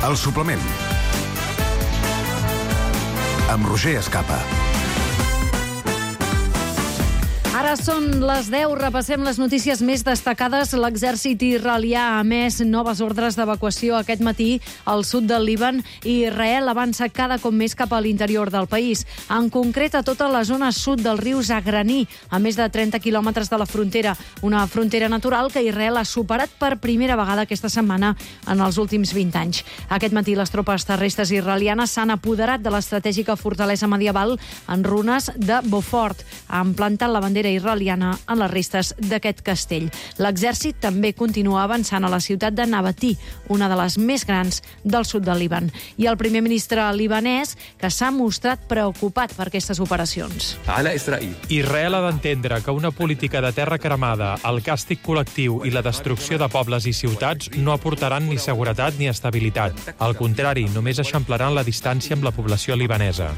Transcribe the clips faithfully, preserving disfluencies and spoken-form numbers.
El suplement. Amb Roger Escapa. Ara són les deu, repassem les notícies més destacades. L'exèrcit israelià ha emès noves ordres d'evacuació aquest matí al sud del Líban i Israel avança cada cop més cap a l'interior del país. En concret, a tota la zona sud del riu Zagraní, a més de trenta quilòmetres de la frontera. Una frontera natural que Israel ha superat per primera vegada aquesta setmana en els últims vint anys. Aquest matí les tropes terrestres israelianes s'han apoderat de l'estratègica fortalesa medieval en runes de Beaufort. Han plantat la bandera israeliana en les restes d'aquest castell. L'exèrcit també continua avançant a la ciutat de Nabatí, una de les més grans del sud del Líban. I el primer ministre libanès, que s'ha mostrat preocupat per aquestes operacions. Israel ha d'entendre que una política de terra cremada, el càstig col·lectiu i la destrucció de pobles i ciutats no aportaran ni seguretat ni estabilitat. Al contrari, només eixamplaran la distància amb la població libanesa.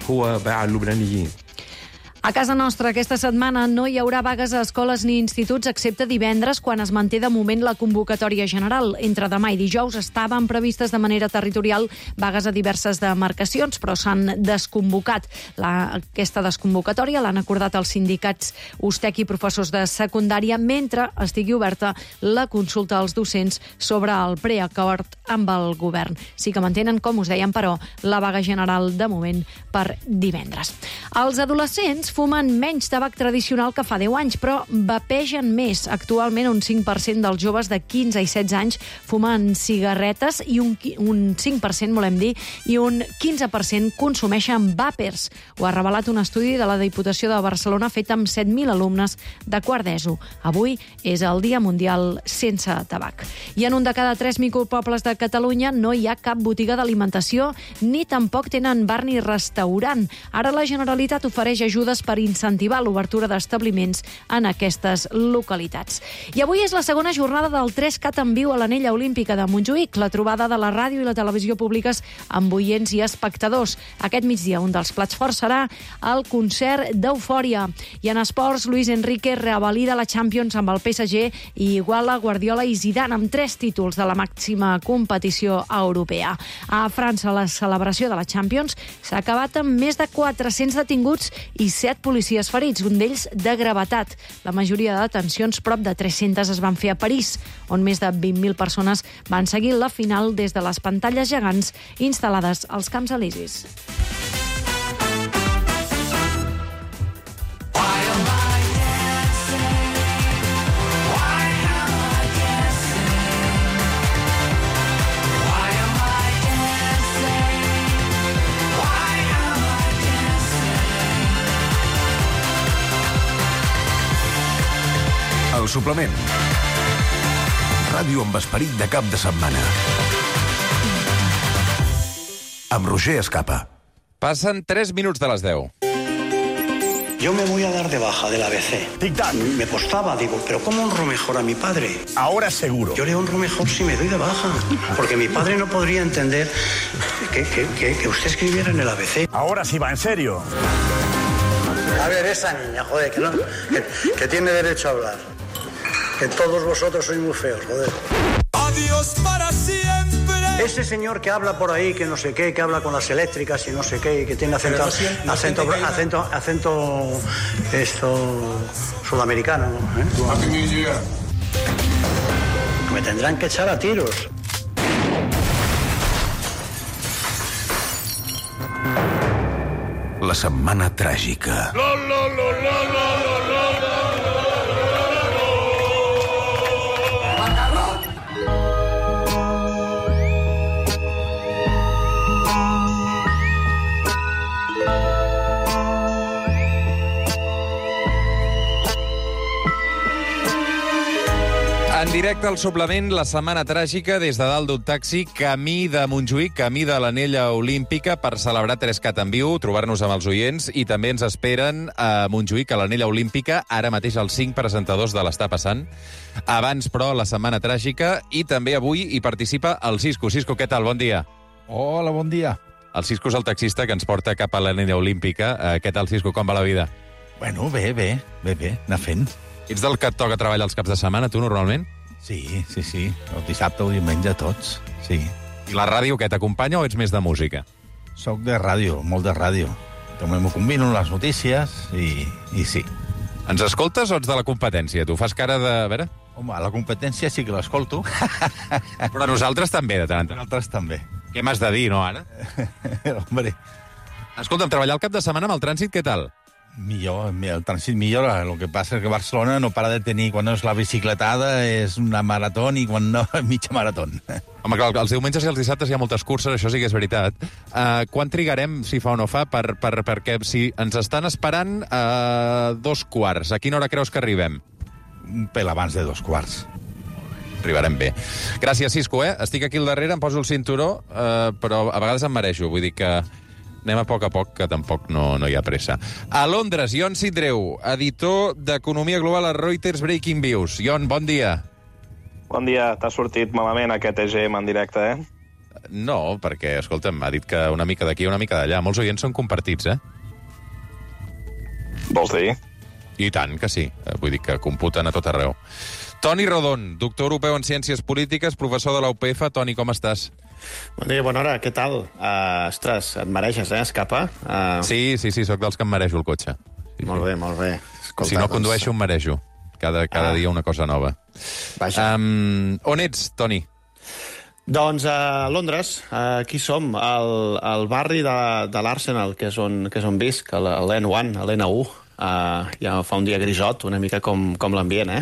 A casa nostra aquesta setmana no hi haurà vagues a escoles ni instituts excepte divendres, quan es manté de moment la convocatòria general. Entre demà i dijous estaven previstes de manera territorial vagues a diverses demarcacions, però s'han desconvocat. La, aquesta desconvocatòria l'han acordat els sindicats U S T E C i professors de secundària, mentre estigui oberta la consulta als docents sobre el preacord amb el govern. Sí que mantenen, com us dèiem, però, la vaga general de moment per divendres. Els adolescents fumen menys tabac tradicional que fa deu anys, però vapegen més. Actualment, un cinc per cent dels joves de quinze i setze anys fumen cigarretes i un, un cinc per cent, volem dir, i un quinze per cent consumeixen vàpers. Ho ha revelat un estudi de la Diputació de Barcelona fet amb set mil alumnes de quart d'ESO. Avui és el Dia Mundial sense tabac. I en un de cada tres micropobles de Catalunya no hi ha cap botiga d'alimentació ni tampoc tenen bar ni restaurant. Ara la Generalitat ofereix ajudes per incentivar l'obertura d'establiments en aquestes localitats. I avui és la segona jornada del tres cat en viu a l'Anella Olímpica de Montjuïc, la trobada de la ràdio i la televisió públiques amb oients i espectadors. Aquest migdia un dels plats forts serà el concert d'Eufòria. I en esports, Luis Enrique revalida la Champions amb el P S G i iguala Guardiola i Zidane amb tres títols de la màxima competició europea. A França, la celebració de la Champions s'ha acabat amb més de quatre-cents detinguts i set policies ferits, un d'ells de gravetat. La majoria de detencions, prop de tres-centes, es van fer a París, on més de vint mil persones van seguir la final des de les pantalles gegants instal·lades als Camps Elisis. El suplement. Ràdio amb esperit de cap de setmana. Amb Roger Escapa. Passen tres minuts de les deu. Yo me voy a dar de baja del A B C. Tic-tac. Me costaba, digo, pero ¿cómo honro mejor a mi padre? Ahora seguro. Yo le honro mejor si me doy de baja, porque mi padre no podría entender que, que, que, que usted escribiera en el A B C. Ahora sí va, en serio. A ver, esa niña, joder, que, no, que, que tiene derecho a hablar. Que todos vosotros sois muy feos, joder. Adiós para siempre. Ese señor que habla por ahí, que no sé qué, que habla con las eléctricas y no sé qué, y que tiene acento, no acento, acento, acento, acento, esto, sudamericano, ¿eh? Me tendrán que echar a tiros. La setmana tràgica. La, la, la, la, la, la, la. En directe al suplement, la setmana tràgica des de dalt d'un taxi, camí de Montjuïc, camí de l'Anella Olímpica, per celebrar tres cat en viu, trobar-nos amb els oients, i també ens esperen a Montjuïc, a l'Anella Olímpica, ara mateix els cinc presentadors de l'Està Passant. Abans, però, la setmana tràgica, i també avui hi participa el Cisco. Cisco, què tal? Bon dia. Hola, bon dia. El Cisco és el taxista que ens porta cap a l'Anella Olímpica. Uh, què tal, Cisco? Com va la vida? Bueno, bé, bé, bé, bé, anar fent. Ets del que et toca treballar els caps de setmana, tu, normalment? Sí, sí, sí. El dissabte o diumenge, tots, sí. I la ràdio, què, t'acompanya o ets més de música? Soc de ràdio, molt de ràdio. També m'ho combino les notícies i, i sí. Ens escoltes o ets de la competència? Tu fas cara de... A veure... Home, la competència sí que l'escolto. Però nosaltres també, de tant en tant. Nosaltres també. Què m'has de dir, no, ara? Hombre, Escolta'm, treballar el cap de setmana amb el trànsit, què tal? millor, el trànsit millora. El que passa és que Barcelona no para de tenir, quan no és la bicicletada, és una marató i quan no, mitja marató. Home, clar, els diumenges i els dissabtes hi ha moltes curses, això sí que és veritat. Uh, quan trigarem, si fa o no fa, per, per, perquè si ens estan esperant uh, dos quarts, a quina hora creus que arribem? Un pel abans de dos quarts. Arribarem bé. Gràcies, Cisco, eh? Estic aquí al darrere, em poso el cinturó, uh, però a vegades em mereixo, vull dir que anem a poc a poc, que tampoc no, no hi ha pressa. A Londres, Ion Sidreu, editor d'Economia Global a Reuters Breaking Views. Ion, bon dia. Bon dia. T'ha sortit malament aquest E G M en directe, eh? No, perquè, escolta'm, m'ha dit que una mica d'aquí i una mica d'allà. Molts oients són compartits, eh? Vols dir? I tant que sí. Vull dir que computen a tot arreu. Toni Rodon, doctor europeu en Ciències Polítiques, professor de la U P F. Toni, com estàs? Bon dia, bona hora, què tal? Uh, ostres, et mereixes, eh, escapa? Uh... Sí, sí, sí, sóc dels que em mereixo el cotxe. Sí, molt sí. bé, molt bé. Escolta, si no doncs... condueixo, em mereixo. Cada, cada ah. dia una cosa nova. Vaja. Um, on ets, Toni? Doncs a Londres, aquí som, al, al barri de, de l'Arsenal, que és on, que és on visc, a l'N un, a l'N un. Uh, ja fa un dia grisot, una mica com, com l'ambient, eh?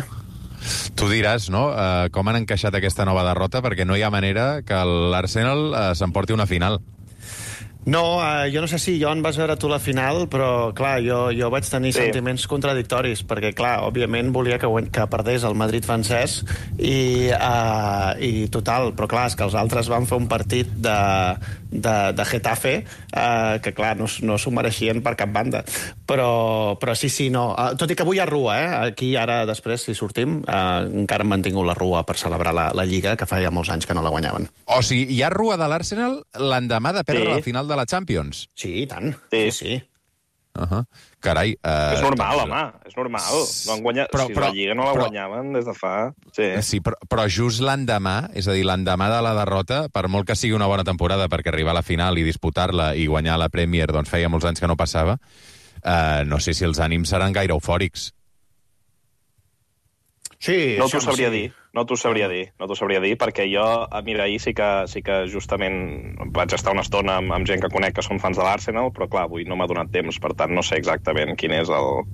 Tu diràs, no?, uh, com han encaixat aquesta nova derrota, perquè no hi ha manera que l'Arsenal uh, s'emporti una final. No, uh, jo no sé si, Joan, vas veure tu la final, però, clar, jo, jo vaig tenir sí. sentiments contradictoris, perquè, clar, òbviament volia que, que perdés el Madrid francès i, uh, i total, però, clar, és que els altres van fer un partit de, de, de Getafe uh, que, clar, no, no s'ho mereixien per cap banda. Però, però sí, sí, no. Uh, tot i que avui hi ha rua, eh? Aquí, ara, després, si sortim, uh, encara hem mantingut la rua per celebrar la, la Lliga, que fa ja molts anys que no la guanyaven. O sigui, hi ha rua de l'Arsenal l'endemà de perdre sí. la final de la Champions. Sí, i tant. Sí, sí. Uh -huh. Carai. Uh, és normal, doncs... home, és normal. No han guanyat... però, si però, la Lliga no la però, guanyaven des de fa... Sí, sí però, però just l'endemà, és a dir, l'endemà de la derrota, per molt que sigui una bona temporada, perquè arribar a la final i disputar-la i guanyar la Premier, doncs feia molts anys que no passava, uh, no sé si els ànims seran gaire eufòrics. Sí, no t'ho sabria sí. dir, no t'ho sabria dir, no t'ho sabria dir, perquè jo, mira, ahir sí que, sí que justament vaig estar una estona amb, amb gent que conec que són fans de l'Arsenal, però clar, avui no m'ha donat temps, per tant no sé exactament quin és el...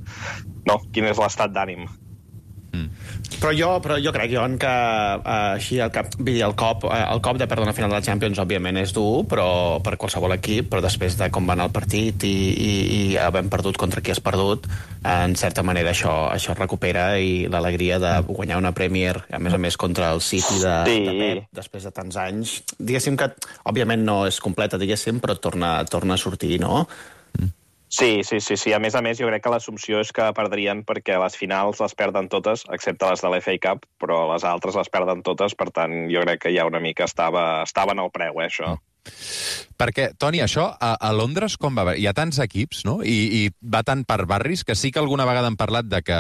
No, quin és l'estat d'ànim. Mm. Però jo, però jo crec, Joan, que uh, així el, cap, el, cop, uh, el cop de perdre una final de la Champions, òbviament, és dur, però per qualsevol equip, però després de com va anar el partit i, i, i havent perdut contra qui has perdut, uh, en certa manera això, això recupera i l'alegria de guanyar una Premier, a més a més contra el City de, sí. de Pep, després de tants anys. Diguéssim que, òbviament, no és completa, diguéssim, però torna, torna a sortir, no? Sí, sí, sí, sí. A més a més, jo crec que l'assumpció és que perdrien perquè les finals les perden totes, excepte les de l'F A Cup, però les altres les perden totes, per tant, jo crec que ja una mica estava, estava en el preu, eh, això. Perquè, Toni, això, a, a Londres com va? Hi ha tants equips, no?, I, i va tant per barris, que sí que alguna vegada han parlat de que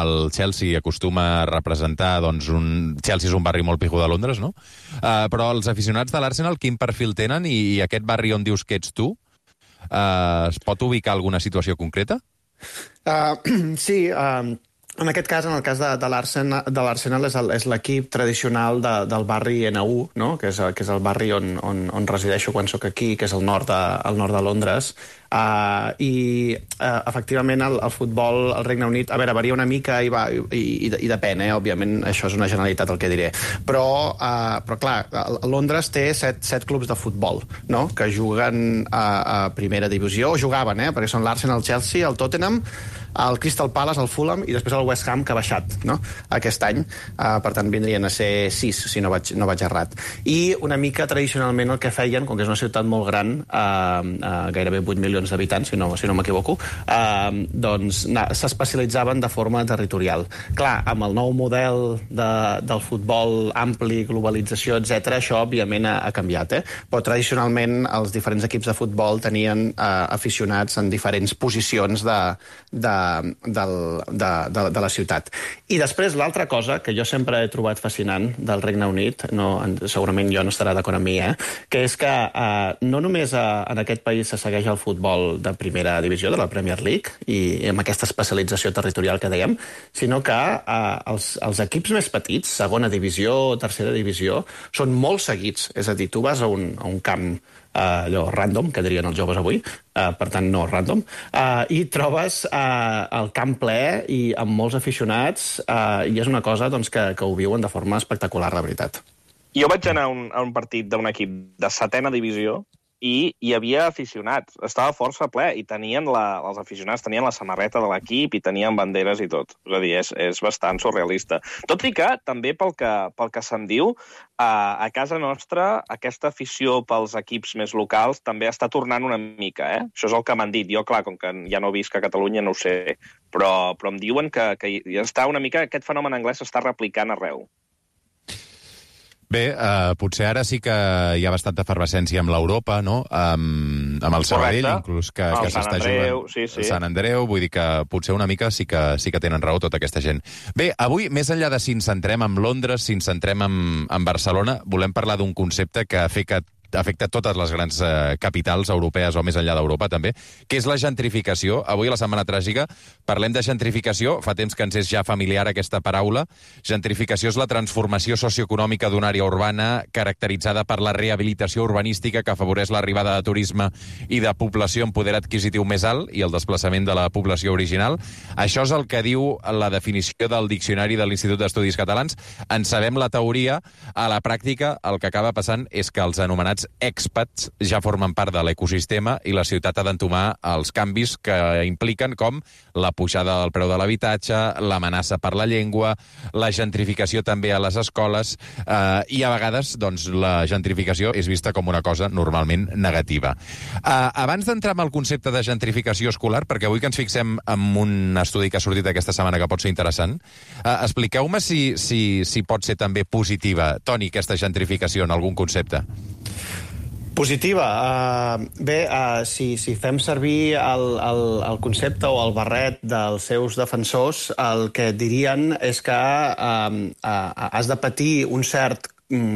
el Chelsea acostuma a representar, doncs, un... Chelsea és un barri molt pijo de Londres, no?, uh, però els aficionats de l'Arsenal quin perfil tenen i, i aquest barri on dius que ets tu, Uh, es pot ubicar alguna situació concreta? Uh, sí, uh, en aquest cas, en el cas de, de l'Arsenal, és l'equip tradicional de, del barri N un, no? que, és, que és el barri on, on, on resideixo quan sóc aquí, que és el nord de, el nord de Londres. Uh, I, uh, efectivament, el, el futbol al Regne Unit, a veure, varia una mica i, va, i, i, i depèn, eh? Òbviament, això és una generalitat el que diré. Però, uh, però clar, Londres té set, set clubs de futbol, no?, que juguen a, a primera divisió, o jugaven, eh?, perquè són l'Arsenal, el Chelsea, el Tottenham, el Crystal Palace, el Fulham i després el West Ham, que ha baixat, no?, aquest any. Uh, per tant, vindrien a ser sis, si no vaig, no vaig errat. I una mica, tradicionalment, el que feien, com que és una ciutat molt gran, uh, uh, gairebé vuit milions d'habitants, si no, si no m'equivoco, uh, doncs s'especialitzaven de forma territorial. Clar, amb el nou model de, del futbol ampli, globalització, etcètera, això, òbviament, ha, ha canviat, eh? Però, tradicionalment, els diferents equips de futbol tenien uh, aficionats en diferents posicions de, de del, de, de, de la ciutat. I després l'altra cosa que jo sempre he trobat fascinant del Regne Unit, no, segurament jo no estarà d'acord amb mi, eh, que és que eh, no només a, en aquest país se segueix el futbol de primera divisió, de la Premier League, i amb aquesta especialització territorial que dèiem, sinó que eh, els, els equips més petits, segona divisió o tercera divisió, són molt seguits. És a dir, tu vas a un, a un camp eh, allò random, que dirien els joves avui, eh, per tant no random, eh, i trobes eh, el camp ple i amb molts aficionats, eh, i és una cosa doncs, que, que ho viuen de forma espectacular, la veritat. Jo vaig anar a un, a un partit d'un equip de setena divisió i hi havia aficionats. Estava força ple i tenien la, els aficionats tenien la samarreta de l'equip i tenien banderes i tot. És a dir, és, és bastant surrealista. Tot i que, també pel que, pel que se'n diu, a, a casa nostra aquesta afició pels equips més locals també està tornant una mica, eh? Això és el que m'han dit. Jo, clar, com que ja no visc a Catalunya, no ho sé, però, però em diuen que, que hi està una mica, aquest fenomen anglès s'està replicant arreu. Bé, uh, potser ara sí que hi ha bastanta efervescència amb l'Europa, no? Um, amb el Sabadell, inclús, que, el que s'està jugant... Sí, sí. Sant Andreu, vull dir que potser una mica sí que, sí que tenen raó tota aquesta gent. Bé, avui, més enllà de si ens centrem en Londres, si ens centrem en, en Barcelona, volem parlar d'un concepte que afecta afecta totes les grans eh, capitals europees o més enllà d'Europa també, que és la gentrificació. Avui, a la Setmana Tràgica, parlem de gentrificació. Fa temps que ens és ja familiar aquesta paraula. Gentrificació és la transformació socioeconòmica d'una àrea urbana caracteritzada per la rehabilitació urbanística que afavoreix l'arribada de turisme i de població amb poder adquisitiu més alt i el desplaçament de la població original. Això és el que diu la definició del Diccionari de l'Institut d'Estudis Catalans. En sabem la teoria. A la pràctica, el que acaba passant és que els anomenats expats ja formen part de l'ecosistema i la ciutat ha d'entomar els canvis que impliquen com la pujada del preu de l'habitatge, l'amenaça per la llengua, la gentrificació també a les escoles eh, i a vegades doncs, la gentrificació és vista com una cosa normalment negativa. Eh, abans d'entrar en el concepte de gentrificació escolar, perquè avui que ens fixem en un estudi que ha sortit aquesta setmana que pot ser interessant, eh, expliqueu-me si, si, si pot ser també positiva, Toni, aquesta gentrificació en algun concepte. Positiva. Uh, bé, uh, si, si fem servir el, el, el concepte o el barret dels seus defensors, el que dirien és que uh, uh, has de patir un cert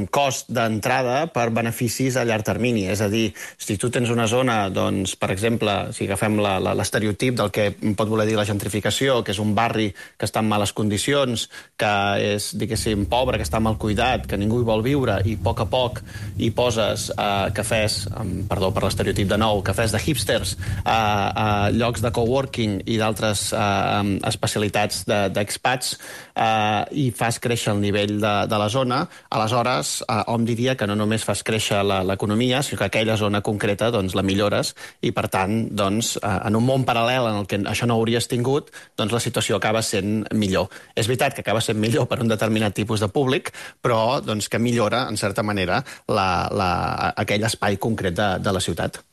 cost d'entrada per beneficis a llarg termini. És a dir, si tu tens una zona, doncs, per exemple, si agafem l'estereotip del que pot voler dir la gentrificació, que és un barri que està en males condicions, que és, diguéssim, pobre, que està mal cuidat, que ningú hi vol viure, i a poc a poc hi poses eh, cafès, um, perdó per l'estereotip de nou, cafès de hipsters, eh, eh, llocs de coworking i d'altres eh, especialitats d'expats, eh, i fas créixer el nivell de, de la zona, aleshores Eh, hom diria que no només fas créixer l'economia, sinó que aquella zona concreta doncs, la millores i, per tant, doncs, eh, en un món paral·lel en el que això no hauries tingut, doncs la situació acaba sent millor. És veritat que acaba sent millor per un determinat tipus de públic, però doncs, que millora, en certa manera, la, la, aquell espai concret de, de la ciutat.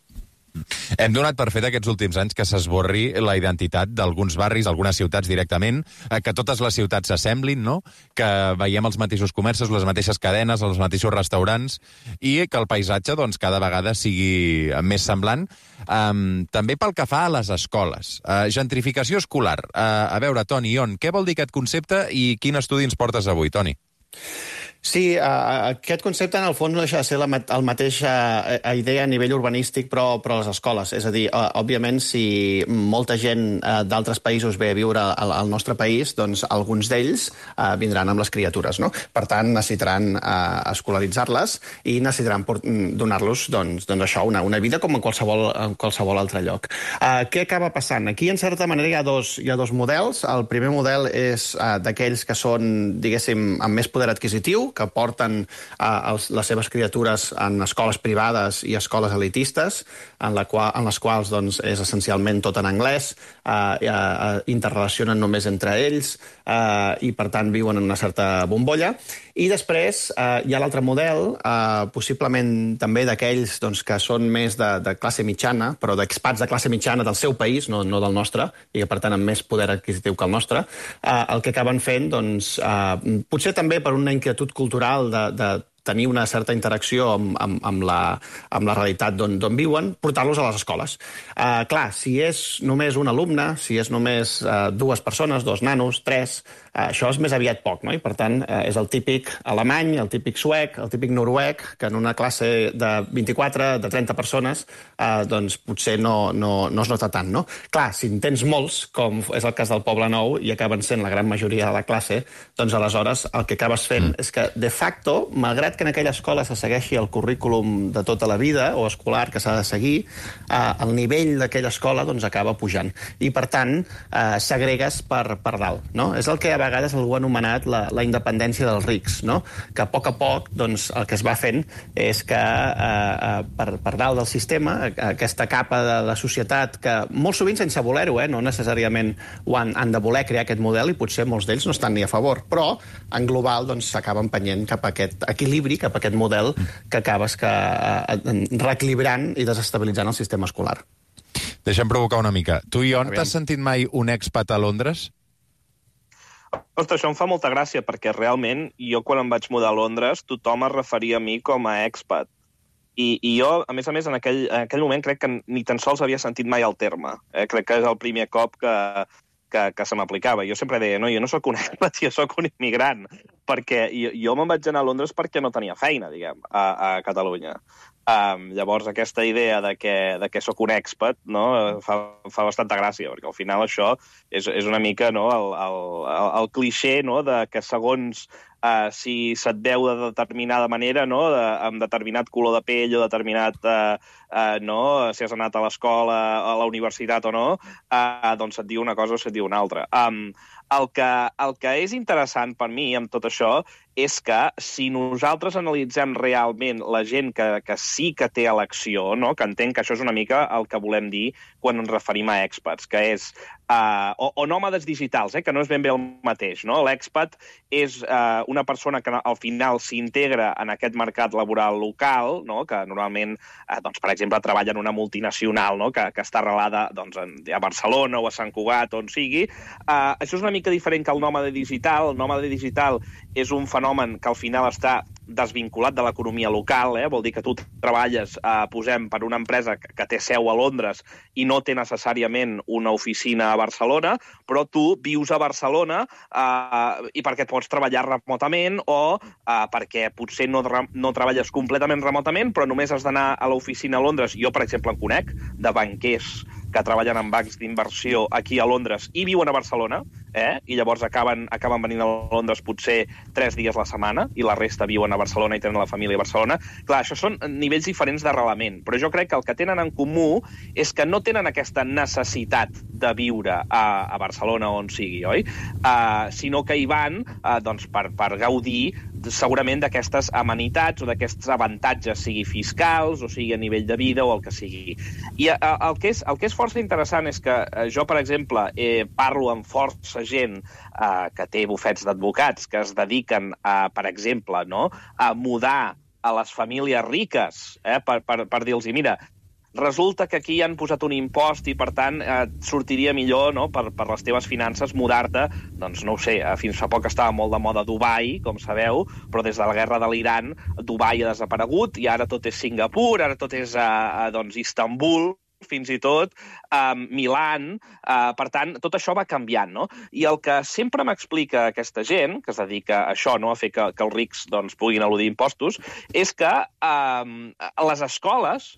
Hem donat per fet aquests últims anys que s'esborri la identitat d'alguns barris, algunes ciutats directament, que totes les ciutats s'assemblin, no? Que veiem els mateixos comerços, les mateixes cadenes, els mateixos restaurants, i que el paisatge doncs, cada vegada sigui més semblant. Um, també pel que fa a les escoles. Uh, gentrificació escolar. Uh, a veure, Toni, Ion, què vol dir aquest concepte i quin estudi ens portes avui, Toni? Sí, uh, aquest concepte en el fons no deixa de ser la el mateixa idea a nivell urbanístic però, però a les escoles. És a dir, uh, òbviament, si molta gent uh, d'altres països ve a viure al, al nostre país, doncs alguns d'ells uh, vindran amb les criatures, no? Per tant, necessitaran uh, escolaritzar-les i necessitaran donar-los doncs, doncs això, una, una vida com en qualsevol, en qualsevol altre lloc. Uh, què acaba passant? Aquí, en certa manera, hi ha dos, hi ha dos models. El primer model és uh, d'aquells que són, diguéssim, amb més poder adquisitiu, que porten uh, els, les seves criatures en escoles privades i escoles elitistes, en, la qual, en les quals doncs, és essencialment tot en anglès, uh, uh, interrelacionen només entre ells uh, i, per tant, viuen en una certa bombolla. I després uh, hi ha l'altre model, uh, possiblement també d'aquells doncs, que són més de, de classe mitjana, però d'expats de classe mitjana del seu país, no, no del nostre, i que, per tant, amb més poder adquisitiu que el nostre, uh, el que acaben fent, doncs, uh, potser també per una inquietud cultural de, de tenir una certa interacció amb, amb, amb, la, amb la realitat d'on viuen, portar-los a les escoles. Uh, clar, si és només un alumne, si és només uh, dues persones, dos nanos, tres, uh, això és més aviat poc, no? I per tant uh, és el típic alemany, el típic suec, el típic noruec, que en una classe de vint-i-quatre, de trenta persones, uh, doncs potser no, no, no es nota tant, no? Clar, si en tens molts, com és el cas del Poble Nou, i acaben sent la gran majoria de la classe, doncs aleshores el que acabes fent mm. és que, de facto, malgrat que en aquella escola se segueixi el currículum de tota la vida o escolar que s'ha de seguir, eh, el nivell d'aquella escola doncs, acaba pujant. I, per tant, eh, s'agregues per, per dalt. No? És el que a vegades algú ha anomenat la, la independència dels rics, no? Que a poc a poc doncs, el que es va fent és que eh, per, per dalt del sistema, aquesta capa de la societat que molt sovint sense voler-ho, eh, no necessàriament ho han, han de voler crear aquest model i potser molts d'ells no estan ni a favor, però en global doncs, s'acaba empenyent cap a aquest equilibri, cap a aquest model que acabes que, eh, reequilibrant i desestabilitzant el sistema escolar. Deixa'm provocar una mica. Tu, Ion, t'has sentit mai un expat a Londres? Ostres, això em fa molta gràcia, perquè realment jo quan em vaig mudar a Londres tothom es referia a mi com a expat. I, i jo, a més a més, en aquell, en aquell moment crec que ni tan sols havia sentit mai el terme. Eh? Crec que és el primer cop que, que, que se m'aplicava. Jo sempre deia, no, jo no sóc un expat, jo sóc un immigrant, perquè jo, jo me'n vaig anar a Londres perquè no tenia feina, diguem, a, a Catalunya. Um, llavors, aquesta idea de que, de que sóc un expat, no, fa, fa bastanta gràcia, perquè al final això és, és una mica, no, el, el, el, el clixé, no, de que segons uh, si se't veu de determinada manera, no, de, amb determinat color de pell o determinat, uh, uh, no, si has anat a l'escola, a la universitat o no, uh, doncs et diu una cosa o se't diu una altra. Um, el, que, el que és interessant per mi amb tot això és que si nosaltres analitzem realment la gent que, que sí que té elecció, no? Que entenc que això és una mica el que volem dir quan ens referim a expats, que és, uh, o, o nòmades digitals, eh? Que no és ben bé el mateix, no? L'expat és uh, una persona que al final s'integra en aquest mercat laboral local, no? Que normalment, uh, doncs, per exemple, treballa en una multinacional, no? que, que està arrelada doncs, a Barcelona o a Sant Cugat, on sigui. Uh, això és una mica diferent que el nòmade digital. El nòmade digital és un fenomen que al final està desvinculat de l'economia local, eh? Vol dir que tu treballes, eh, posem, per una empresa que, que té seu a Londres i no té necessàriament una oficina a Barcelona, però tu vius a Barcelona eh, i perquè pots treballar remotament o eh, perquè potser no, no treballes completament remotament, però només has d'anar a l'oficina a Londres. Jo, per exemple, en conec de banquers que treballen en bancs d'inversió aquí a Londres i viuen a Barcelona, eh? I llavors acaben, acaben venint a Londres potser tres dies a la setmana i la resta viuen a Barcelona i tenen la família a Barcelona. Clar, això són nivells diferents d'arrelament, però jo crec que el que tenen en comú és que no tenen aquesta necessitat de viure a, a Barcelona o on sigui, oi? Uh, sinó que hi van uh, doncs per, per gaudir segurament d'aquestes amenitats o d'aquests avantatges, sigui fiscals o sigui a nivell de vida o el que sigui. I uh, el, que és, el que és força interessant és que uh, jo, per exemple, eh, parlo amb força gent uh, que té bufets d'advocats que es dediquen, a, per exemple, no, a mudar a les famílies riques, eh, per, per, per dir-los, mira, resulta que aquí han posat un impost i, per tant, eh, sortiria millor, no, per, per les teves finances mudar-te, doncs no ho sé, eh, fins fa poc estava molt de moda Dubai, com sabeu, però des de la guerra de l'Iran Dubai ha desaparegut i ara tot és Singapur, ara tot és eh, eh, doncs, Istanbul, fins i tot eh, Milan, eh, per tant, tot això va canviant, no? I el que sempre m'explica aquesta gent, que es dedica a això, no, a fer que, que els rics doncs, puguin eludir impostos, és que eh, les escoles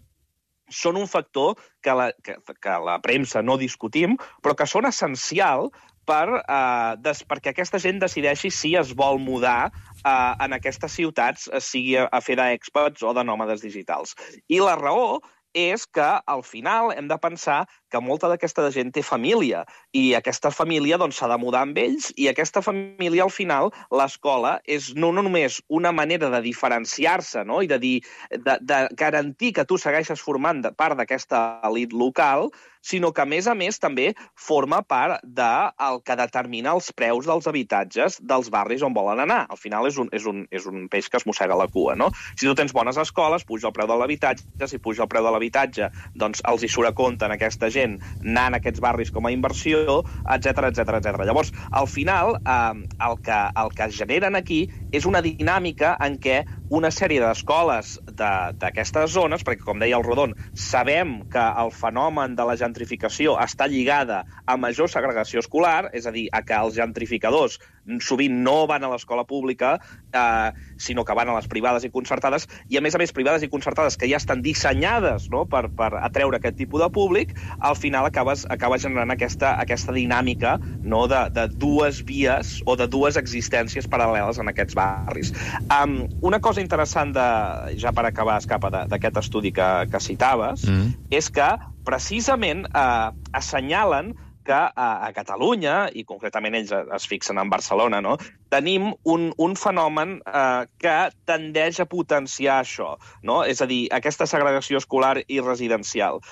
són un factor que la, que, que la premsa no discutim, però que són essencial per, eh, des, perquè aquesta gent decideixi si es vol mudar eh, en aquestes ciutats, sigui a, a fer d'expats o de nòmades digitals. I la raó és que, al final, hem de pensar que molta d'aquesta gent té família i aquesta família doncs, s'ha de mudar amb ells i aquesta família, al final, l'escola és no, no només una manera de diferenciar-se, no? I de, dir, de, de garantir que tu segueixes formant part d'aquesta elit local, sinó que, a més a més, també forma part del que determina els preus dels habitatges dels barris on volen anar. Al final és un, és un, és un peix que es mossega la cua, no? Si tu tens bones escoles, puja el preu de l'habitatge, si puja el preu de l'habitatge, doncs els hi surt a compte en aquesta gent anar en aquests barris com a inversió, etcètera, etcètera, etcètera. Llavors, al final, eh, el, que, el que es generen aquí és una dinàmica en què una sèrie d'escoles d'aquestes zones, perquè, com deia el Rodon, sabem que el fenomen de la gentrificació està lligada a major segregació escolar, és a dir, a que els gentrificadors sovint no van a l'escola pública, eh, sinó que van a les privades i concertades, i a més a més privades i concertades que ja estan dissenyades, no?, per, per atreure aquest tipus de públic, al final acabes, acabes generant aquesta, aquesta dinàmica, no?, de, de dues vies o de dues existències paral·leles en aquests barris. Um, una cosa interessant, de, ja per acabar, Escapa, d'aquest estudi que, que citaves, mm. és que precisament eh, assenyalen que a, a Catalunya, i concretament ells es fixen en Barcelona, no?, tenim un, un fenomen eh, que tendeix a potenciar això, no? És a dir, aquesta segregació escolar i residencial.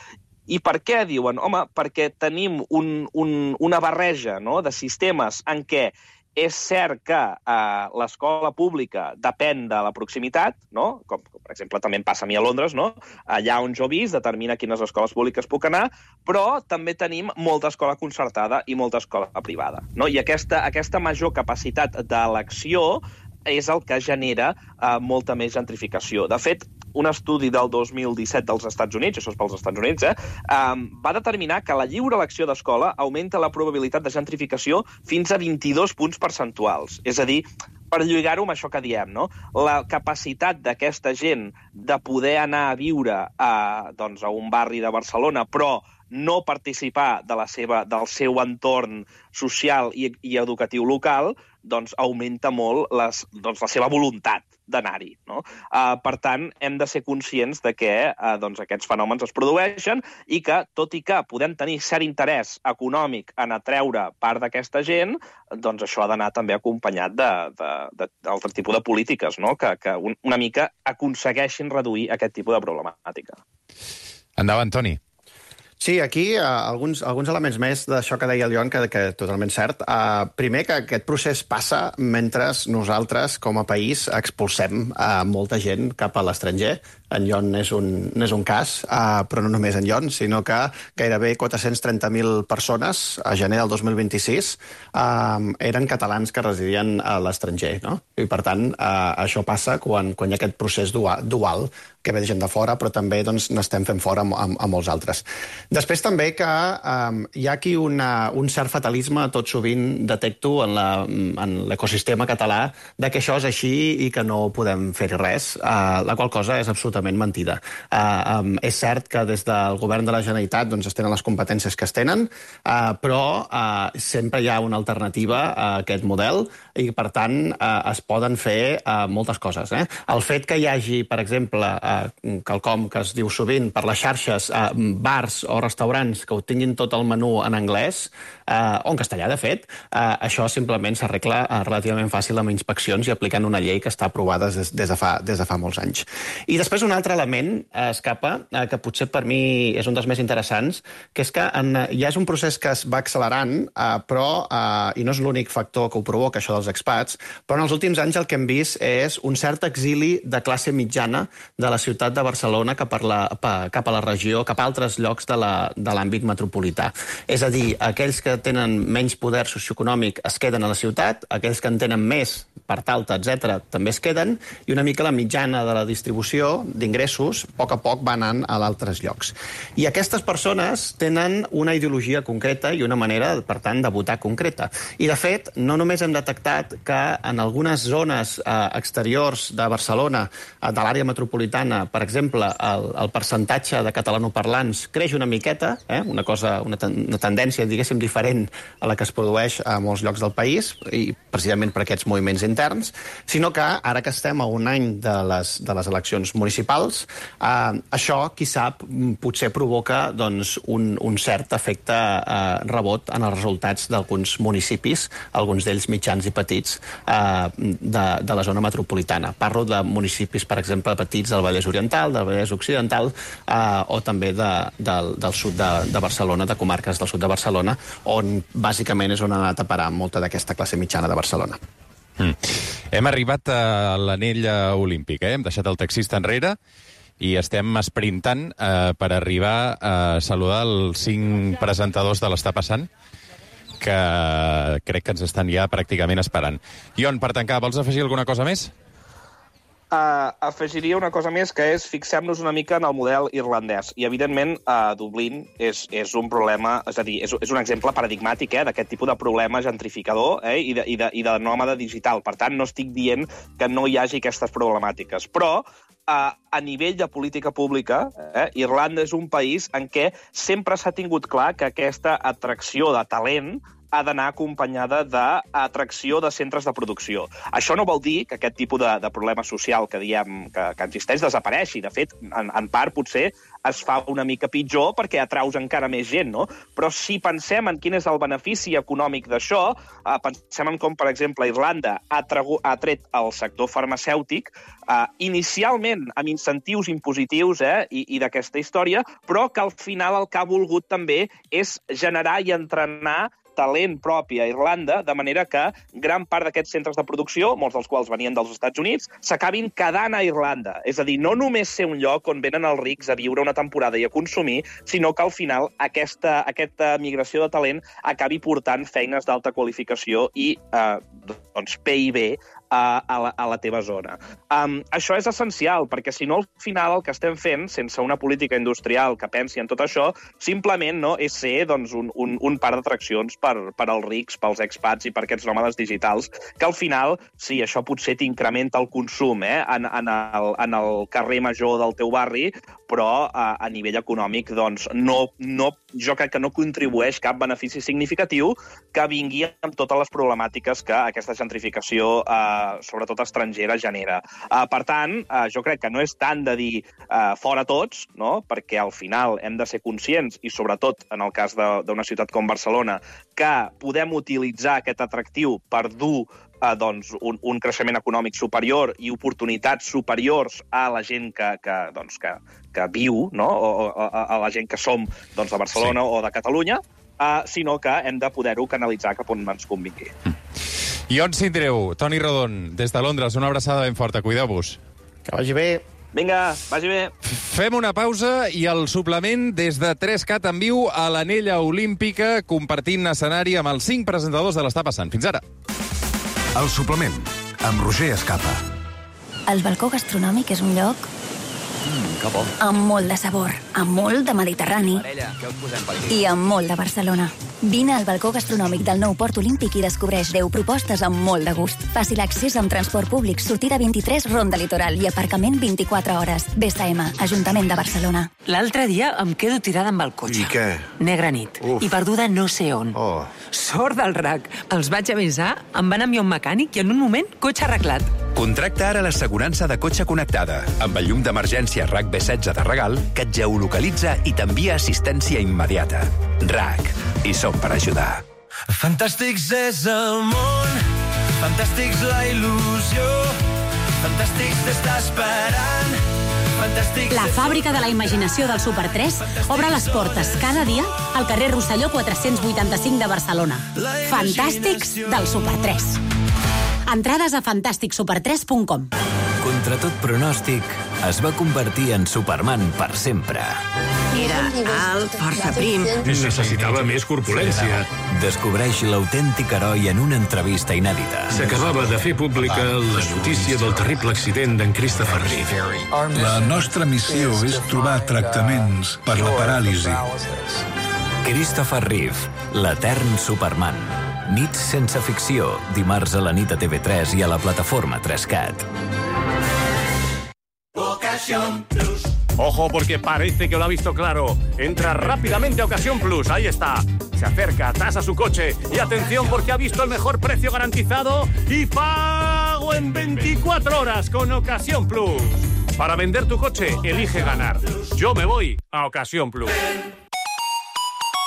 I per què diuen? Home, perquè tenim un, un, una barreja, no?, de sistemes en què és cert que eh, l'escola pública depèn de la proximitat, no? Com, com, per exemple, també em passa a mi a Londres, no? Allà on jo visc determina quines escoles públiques puc anar, però també tenim molta escola concertada i molta escola privada, no? I aquesta, aquesta major capacitat d'elecció és el que genera eh, molta més gentrificació. De fet, un estudi del dos mil disset dels Estats Units, això és pels Estats Units, eh, um, va determinar que la lliure elecció d'escola augmenta la probabilitat de gentrificació fins a vint-i-dos punts percentuals. És a dir, per lligar-ho amb això que diem, no?, la capacitat d'aquesta gent de poder anar a viure a, doncs, a un barri de Barcelona, però no participar de la seva, del seu entorn social i, i educatiu local, doncs augmenta molt les, doncs, la seva voluntat d'anar-hi, no? Uh, per tant, hem de ser conscients de que uh, doncs, aquests fenòmens es produeixen i que, tot i que podem tenir cert interès econòmic en atreure part d'aquesta gent, doncs això ha d'anar també acompanyat d'altre tipus de polítiques, no?, que, que un, una mica aconsegueixin reduir aquest tipus de problemàtica. Endavant, Toni. Sí, aquí uh, alguns, alguns elements més d'això que deia el Joan, que, que totalment cert. Uh, primer, que aquest procés passa mentre nosaltres, com a país, expulsem uh, molta gent cap a l'estranger. En Jon és un, és un cas, uh, però no només en Jon, sinó que gairebé quatre-cents trenta mil persones a gener del dos mil vint-i-sis uh, eren catalans que residien a l'estranger, no? I, per tant, uh, això passa quan, quan hi ha aquest procés dual, dual que ve de gent de fora, però també doncs, n'estem fent fora amb, amb, amb molts altres. Després també que um, hi ha aquí una, un cert fatalisme, tot sovint detecto en l'ecosistema català, de que això és així i que no podem fer-hi res, uh, la qual cosa és absolutament mentida. Uh, um, és cert que des del govern de la Generalitat doncs, es tenen les competències que es tenen, uh, però uh, sempre hi ha una alternativa a aquest model i, per tant, uh, es poden fer uh, moltes coses. Eh? El fet que hi hagi, per exemple, uh, quelcom que es diu sovint per les xarxes, uh, bars o restaurants que ho tinguin tot el menú en anglès, uh, o en castellà, de fet, uh, això simplement s'arregla uh, relativament fàcil amb inspeccions i aplicant una llei que està aprovada des, des, de, fa, des de fa molts anys. I després un altre element, uh, Escapa, uh, que potser per mi és un dels més interessants, que és que en, uh, ja és un procés que es va accelerant, uh, però, uh, i no és l'únic factor que ho provoca, això dels expats, però en els últims anys el que hem vist és un cert exili de classe mitjana de la ciutat de Barcelona cap a la, cap a la regió, cap a altres llocs de l'àmbit metropolità. És a dir, aquells que tenen menys poder socioeconòmic es queden a la ciutat, aquells que en tenen més, part alta, etcètera, també es queden, i una mica la mitjana de la distribució d'ingressos, a poc a poc va anant a d'altres llocs. I aquestes persones tenen una ideologia concreta i una manera, per tant, de votar concreta. I, de fet, no només hem detectat que en algunes zones eh, exteriors de Barcelona, eh, de l'àrea metropolitana, per exemple, el, el percentatge de catalanoparlants creix una miqueta, eh? una cosa, una, ten una tendència, diguéssim, diferent a la que es produeix a molts llocs del país, i precisament per aquests moviments interns, sinó que ara que estem a un any de les, de les eleccions municipals, eh, això, qui sap, potser provoca doncs, un, un cert efecte eh, rebot en els resultats d'alguns municipis, alguns d'ells mitjans i petits, eh, de, de la zona metropolitana. Parlo de municipis, per exemple, petits del Vallès Oriental, del Vallès Occidental, eh, o també de, del, del sud de, de Barcelona, de comarques del sud de Barcelona, on bàsicament és on ha anat a parar molta d'aquesta classe mitjana de Barcelona. Mm. Hem arribat a l'anell olímpic, eh? Hem deixat el taxista enrere i estem esprintant eh, per arribar a saludar els cinc presentadors de l'Està Passant, que crec que ens estan ja pràcticament esperant. Jon, per tancar, vols afegir alguna cosa més? Uh, afegiria una cosa més, que és fixem-nos una mica en el model irlandès. I, evidentment, uh, Dublín és, és un problema, és a dir, és, és un exemple paradigmàtic eh, d'aquest tipus de problema gentrificador eh, i, de, i, de, i de nòmada digital. Per tant, no estic dient que no hi hagi aquestes problemàtiques. Però, uh, a nivell de política pública, eh, Irlanda és un país en què sempre s'ha tingut clar que aquesta atracció de talent ha d'anar acompanyada d'atracció de centres de producció. Això no vol dir que aquest tipus de, de problema social que diem que, que existeix desapareixi. De fet, en, en part, potser es fa una mica pitjor perquè atraus encara més gent, no? Però si pensem en quin és el benefici econòmic d'això, eh, pensem en com, per exemple, Irlanda ha, tragu, ha tret el sector farmacèutic eh, inicialment amb incentius impositius eh, i, i d'aquesta història, però que al final el que ha volgut també és generar i entrenar talent propi a Irlanda, de manera que gran part d'aquests centres de producció, molts dels quals venien dels Estats Units, s'acabin quedant a Irlanda. És a dir, no només ser un lloc on venen els rics a viure una temporada i a consumir, sinó que al final aquesta, aquesta migració de talent acabi portant feines d'alta qualificació i eh, doncs, P I B a, a, la, a la teva zona. Um, això és essencial, perquè si no, al final el que estem fent, sense una política industrial que pensi en tot això, simplement no, és ser doncs, un, un, un par d'atraccions per, per als rics, pels expats i per aquests nòmades digitals, que al final, sí, això potser t'incrementa el consum eh, en, en, el, en el carrer major del teu barri, però a, a nivell econòmic doncs, no, no, jo crec que no contribueix cap benefici significatiu que vingui amb totes les problemàtiques que aquesta gentrificació, eh, sobretot estrangera, genera. Eh, per tant, eh, jo crec que no és tant de dir eh, fora tots, no? Perquè al final hem de ser conscients, i sobretot en el cas d'una ciutat com Barcelona, que podem utilitzar aquest atractiu per dur eh, doncs, un, un creixement econòmic superior i oportunitats superiors a la gent que, que, doncs, que, que viu, no? o, o a, a la gent que som doncs, de Barcelona sí. o de Catalunya, eh, sinó que hem de poder-ho canalitzar cap on ens convingui. Mm. I on s'indreu? Toni Rodon, des de Londres, una abraçada ben forta. Cuideu-vos. Que vagi bé. Vinga, vagi bé. Fem una pausa i el suplement des de tres cat en viu a l'Anella Olímpica, compartint escenari amb els cinc presentadors de l'Està Passant. Fins ara. El suplement, amb Roger Escapa. El balcó gastronòmic és un lloc Mm, que bo. amb molt de sabor, amb molt de Mediterrani Parella, què us posem per aquí? i amb molt de Barcelona. Vine al balcó gastronòmic del nou Port Olímpic i descobreix deu propostes amb molt de gust. Fàcil accés amb transport públic, sortida vint-i-tres, Ronda Litoral i aparcament vint-i-quatre hores. B S M, Ajuntament de Barcelona. L'altre dia em quedo tirada amb el cotxe. I què? Negra nit. Uf. I perduda no sé on. Oh. Sort del R A C. Els vaig avisar, em van enviar un mecànic i en un moment, cotxe arreglat. Contracta ara l'assegurança de cotxe connectada amb el llum d'emergència R A C B setze de regal que et geolocalitza i t'envia assistència immediata. R A C. I som per ajudar. Fantàstics és el món, fantàstics la il·lusió, fantàstics d'estar esperant, fantàstics... La fàbrica de la imaginació del Super tres obre les portes cada dia al carrer Rosselló quatre-cents vuitanta-cinc de Barcelona. Fantàstics del Super tres. Entrades a fantàstic super tres punt com. Contra tot pronòstic, es va convertir en Superman per sempre. Era alt, força prim. Necessitava més corpulència. Descobreix l'autèntic heroi en una entrevista inèdita. S'acabava de fer pública la notícia del terrible accident d'en Christopher Reeve. La nostra missió és trobar tractaments per la paràlisi. Christopher Reeve, l'etern Superman. Nits sense ficció, dimarts a la nit a T V tres i a la plataforma tres cat. Ocasión Plus. Ojo, porque parece que lo ha visto claro. Entra rápidamente a Ocasión Plus. Ahí está. Se acerca, tasa su coche. Y atención, porque ha visto el mejor precio garantizado y pago en veinticuatro horas con Ocasión Plus. Para vender tu coche, elige ganar. Yo me voy a Ocasión Plus.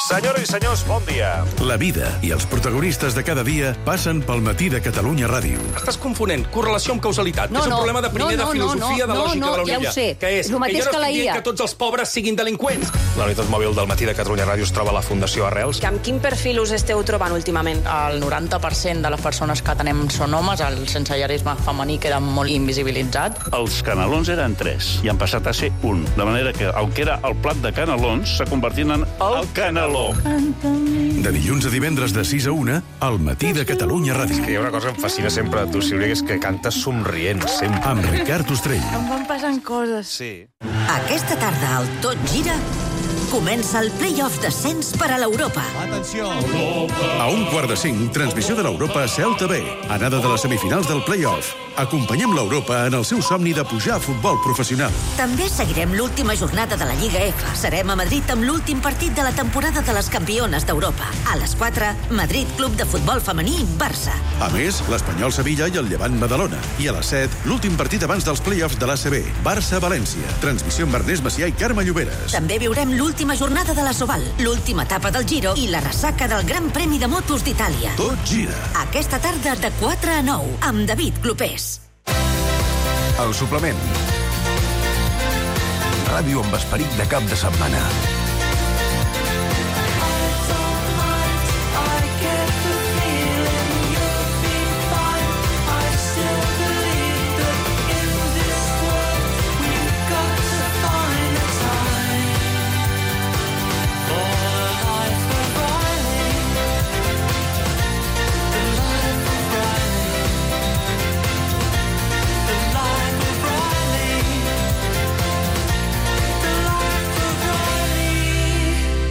Senyores i senyors, bon dia. La vida i els protagonistes de cada dia passen pel matí de Catalunya Ràdio. Estàs confonent correlació amb causalitat, no, que és un no, problema de primer no, no, de filosofia no, no, de lògica no, no, de la ja Unilla. ho sé. Que és, És el mateix que jo no que la estic I A. dient que tots els pobres siguin delinqüents. La unitat mòbil del matí de Catalunya Ràdio es troba a la Fundació Arrels. Amb quin perfil us esteu trobant últimament? El noranta per cent de les persones que tenem són homes, el sensellarisme femení queda molt invisibilitzat. Els canelons eren tres i han passat a ser un. De manera que el que era el plat de canelons s'ha convertit en el caneló. Colom. De dilluns a divendres de sis a una, al matí de Catalunya Ràdio. És que hi ha una cosa que em fascina sempre de tu, Sílvia, que és que cantes somrient, sempre. Amb Ricard Ostrell. Em van passant coses. Sí. Aquesta tarda al Tot Gira comença el play-off d'ascens per a l'Europa. Atenció! A un quart de cinc, transmissió de l'Europa a Celta B. Anada de les semifinals del play-off. Acompanyem l'Europa en el seu somni de pujar a futbol professional. També seguirem l'última jornada de la Lliga F. Serem a Madrid amb l'últim partit de la temporada de les campiones d'Europa. A les quatre, Madrid Club de Futbol Femení, Barça. A més, l'Espanyol Sevilla i el Llevant Badalona. I a les set, l'últim partit abans dels play-offs de l'A C B. Barça-València. Transmissió amb Ernest Macià i Carme Lloberes. També viurem l'última jornada de la Soval, l'última etapa del Giro i la ressaca del Gran Premi de Motos d'Itàlia. Tot gira. Aquesta tarda de quatre a nou, amb David Clopés. El suplement. Ràdio amb esperit de cap de setmana.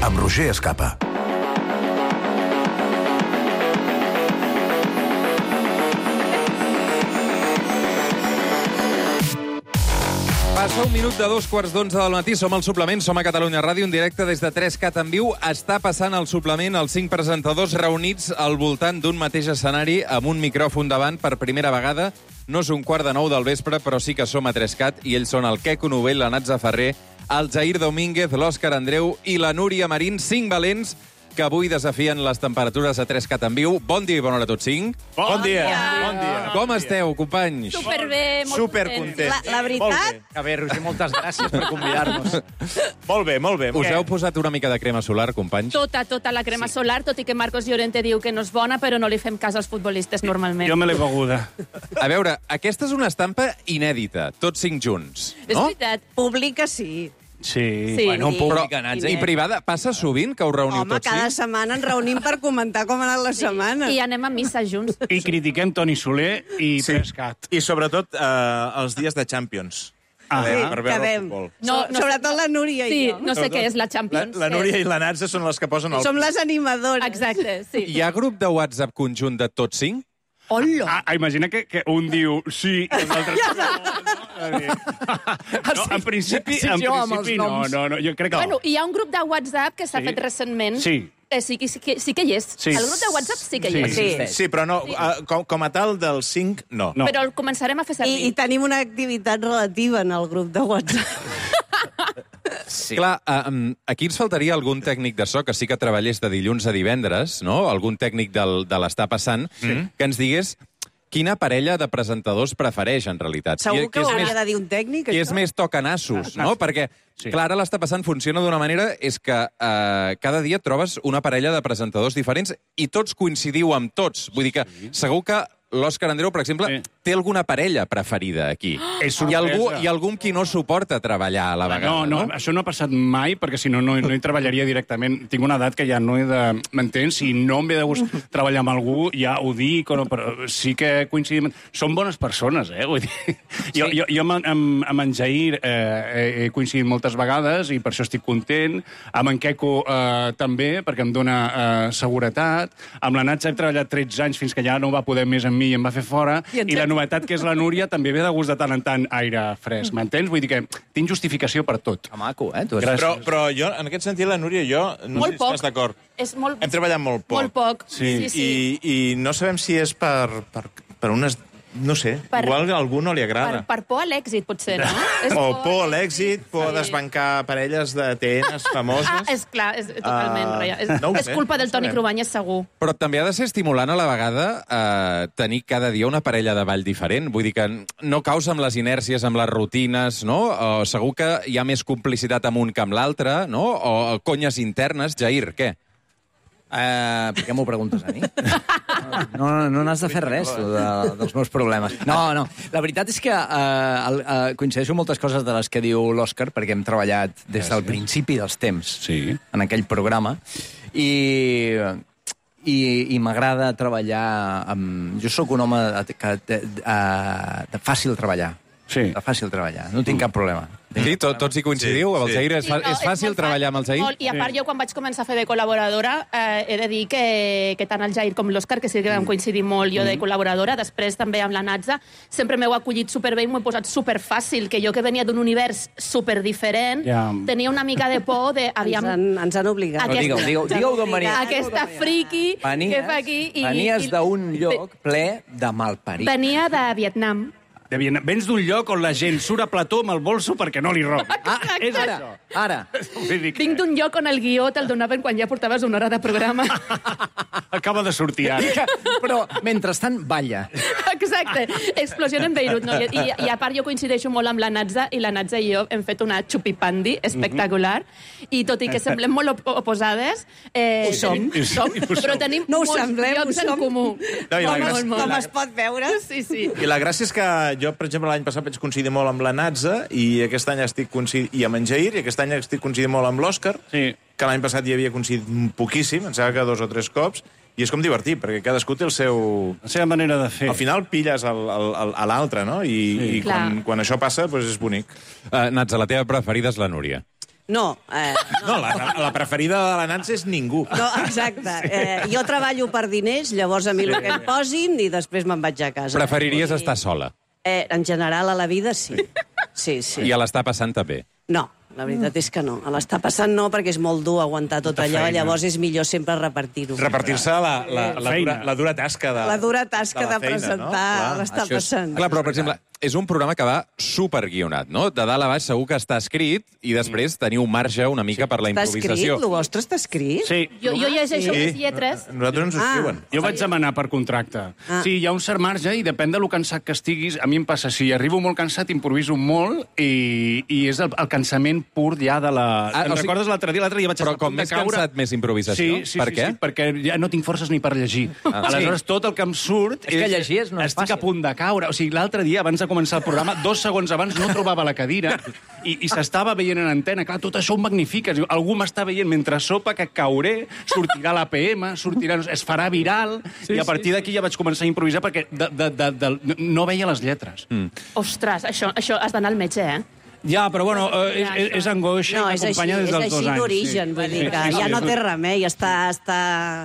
Amb Roger Escapa. Passa un minut de dos quarts d'onze del matí. Som al suplement, som a Catalunya Ràdio, en directe des de tres cat en viu. Està passant al suplement els cinc presentadors reunits al voltant d'un mateix escenari amb un micròfon davant per primera vegada. No és un quart de nou del vespre, però sí que som a tres cat i ells són el Queco Novell, la Natza Ferrer, el Jair Domínguez, l'Òscar Andreu i la Núria Marín, cinc valents que avui desafien les temperatures a tres cat en viu. Bon dia i bona hora a tots cinc. Bon, bon dia. dia. Bon dia. Com esteu, companys? Superbé, molt Supercontent. La, la veritat... A veure, Roger, moltes gràcies per convidar-nos. Molt bé, molt bé. Us heu posat una mica de crema solar, companys? Tota, tota la crema sí. solar, tot i que Marcos Llorente diu que no és bona, però no li fem cas als futbolistes normalment. Jo me l'he beguda. A veure, aquesta és una estampa inèdita, tots cinc junts, no? És veritat, pública sí. Sí, sí. bueno, pública, Però, I privada, passa sovint que us reuniu Home, tots cinc? Home, cada setmana ens reunim per comentar com ha anat la sí. setmana. I anem a missa junts. I critiquem Toni Soler i sí. Prescat. I sobretot eh, els dies de Champions. Ah, sí, per veure el futbol. No, no, sobretot la Núria sí, i jo. no sé què és la Champions. La, la Núria i la Natza són les que posen el... Som les animadores. Exacte, sí. Hi ha grup de WhatsApp conjunt de tots cinc? Hola! Ah, imagina que, que un diu sí i l'altre no. No, en principi, en principi no, no, no, jo crec que bueno, hi ha un grup de WhatsApp que s'ha sí. fet recentment. Sí. Eh, sí, sí, sí, sí que hi és. Sí. El grup de WhatsApp sí que sí. hi és. Sí, sí però no, sí. Uh, com, com a tal dels cinc, no. no. Però el començarem a fer servir. I, I tenim una activitat relativa en el grup de WhatsApp. Sí. Clar, um, aquí ens faltaria algun tècnic de so que sí que treballés de dilluns a divendres, no? Algun tècnic del, de l'Està Passant, sí. que ens digués quina parella de presentadors prefereix, en realitat. Segur que, que ho hauria més, de dir un tècnic, Qui això? és més tocanassos, no? Perquè, sí. clar, ara l'Està Passant funciona d'una manera és que eh, cada dia trobes una parella de presentadors diferents i tots coincidiu amb tots. Vull dir que sí. segur que l'Òscar Andreu, per exemple, sí. té alguna parella preferida aquí. És hi ha algú, hi ha algú amb qui no suporta treballar a la vegada, no? No, no, això no ha passat mai, perquè si no, no, no hi treballaria directament. Tinc una edat que ja no he de... M'entens? Si no em ve de gust treballar amb algú, ja ho dic, o no, però sí que coincidim... Són bones persones, eh? Vull dir, sí. Jo, jo, jo amb, amb, amb en Jair eh, he coincidit moltes vegades i per això estic content. Amb en Queco eh, també, perquè em dona eh, seguretat. Amb la Natza he treballat tretze anys fins que ja no va poder més amb mi i em va fer fora. I, I la novetat, que és la Núria, també ve de gust de tant en tant aire fresc. M'entens? Vull dir que tinc justificació per tot. Que maco, eh? Tu però, però jo, en aquest sentit, la Núria i jo, no molt sé si estàs d'acord. Molt... Hem treballat molt poc. Molt poc, sí. sí, sí. I, I no sabem si és per, per, per unes... No sé, per, igual a algú no li agrada. Per, per por a l'èxit, potser, no? O por a l'èxit, por a desbancar parelles de T Ns famoses. Ah, és clar, és totalment uh, real. És, no és culpa del Toni Cruanyes, segur. Però també ha de ser estimulant a la vegada eh, tenir cada dia una parella de ball diferent. Vull dir que no causa amb les inèrcies, amb les rutines, no? O segur que hi ha més complicitat amb un que amb l'altre, no? O conyes internes. Jair, què? Uh, per què m'ho preguntes a mi? No, no, no n'has de fer res, tu, de, dels meus problemes. No, no, la veritat és que uh, el, uh, coincideixo amb moltes coses de les que diu l'Òscar, perquè hem treballat des del principi dels temps sí. en aquell programa, i... i, i m'agrada treballar amb... Jo sóc un home que, de, de, de fàcil treballar. Sí. De fàcil treballar, no tinc cap problema. Sí, tot, tots hi coincidiu? Sí, amb el Zahir és, fa, Sí, no, és fàcil molt treballar amb el Zahir? Molt, I a part, jo quan vaig començar a fer de col·laboradora, eh, he de dir que, que tant el Jair com l'Òscar, que sí que vam coincidir molt jo de col·laboradora, després també amb la Natza, sempre m'heu acollit superbé i m'ho he posat superfàcil, que jo que venia d'un univers superdiferent, Ja. tenia una mica de por de... Aviam, Ens han, ens han obligat. Aquesta, digueu, digueu, digueu d'on venies. Aquesta friki Venies, que fa aquí... I, venies i- d'un lloc ple de malparit. Venia de Vietnam. De Vietnam. Vens d'un lloc on la gent surt a plató amb el bolso perquè no li robi. Ah, és ara, ara. Vinc d'un lloc on el guió te'l donaven quan ja portaves una hora de programa. Acaba de sortir ara. Però, mentrestant, balla. Exacte. Explosió en Beirut. No? I, i, I a part jo coincideixo molt amb la Natza, i la Natza i jo hem fet una xupipandi espectacular. I tot i que semblem molt op oposades, eh, Ho som. tenim, som però tenim No ho molts semblem, llocs ho en som. comú. No, i la Molt, gràcia- molt, molt. Com es pot veure? Sí, sí. I la gràcia és que jo, per exemple, l'any passat vaig coincidir molt amb la Natza i aquest any estic coincidint, i amb en Jair, i aquest any estic coincidint molt amb l'Òscar, sí. que l'any passat hi havia coincidit poquíssim, em sembla que dos o tres cops, i és com divertit, perquè cadascú té el seu... La seva manera de fer. Al final pilles el, el, el, a l'altre, no? I, sí. i quan, quan això passa, doncs és bonic. Uh, Natza, la teva preferida és la Núria. No, eh, No, la, la preferida de la Natza és ningú. no, exacte. Eh, jo treballo per diners, llavors a mi el que em posin i després me'n vaig a casa. Preferiries estar sola? Eh, en general, a la vida, sí. Sí, sí. I a l'estar passant també? No, la veritat és que no. A l'estar passant no, perquè és molt dur aguantar tot allò, feina. llavors és millor sempre repartir-ho. Repartir-se la, la, la, dura, la dura tasca de... La dura tasca de, la feina, presentar no? l'estar Això és- passant. Clar, però, per exemple, és un programa que va superguionat, no? De dalt a baix segur que està escrit i després teniu marge una mica per la Està escrit? improvisació. El vostre està escrit? Sí. Jo, jo llegeixo Sí. les lletres. Nosaltres ens ho Ah. escriuen. Jo vaig demanar per contracte. Ah. Sí, hi ha un cert marge i depèn de lo cansat que estiguis. A mi em passa, si arribo molt cansat, improviso molt i, i és el, el cansament pur ja de la... Ah, Te'n o sigui- recordes l'altre dia? L'altre dia vaig Però estar a com punt de més caure. cansat, més improvisació? Sí, sí, Per sí, què? sí, perquè ja no tinc forces ni per llegir. Ah. Aleshores, tot el que em surt... És que llegir és- no és Estic fàcil. a punt de caure. O sigui, l'altre dia, abans de començar el programa, dos segons abans no trobava la cadira i, i s'estava veient en antena. Clar, tot això ho magnifica. Diu, algú m'està veient mentre sopa que cauré, sortirà l'A P M, sortirà, es farà viral, Sí, i a partir d'aquí ja vaig començar a improvisar perquè de, de, de, de, no veia les lletres. Mm. Ostres, això, això has d'anar al metge, eh? Ja, però bueno, eh, és, és, és angoixa No, i és així, m'acompanya des és dels així dos anys. d'origen, vull dir que ja no té remei, està, està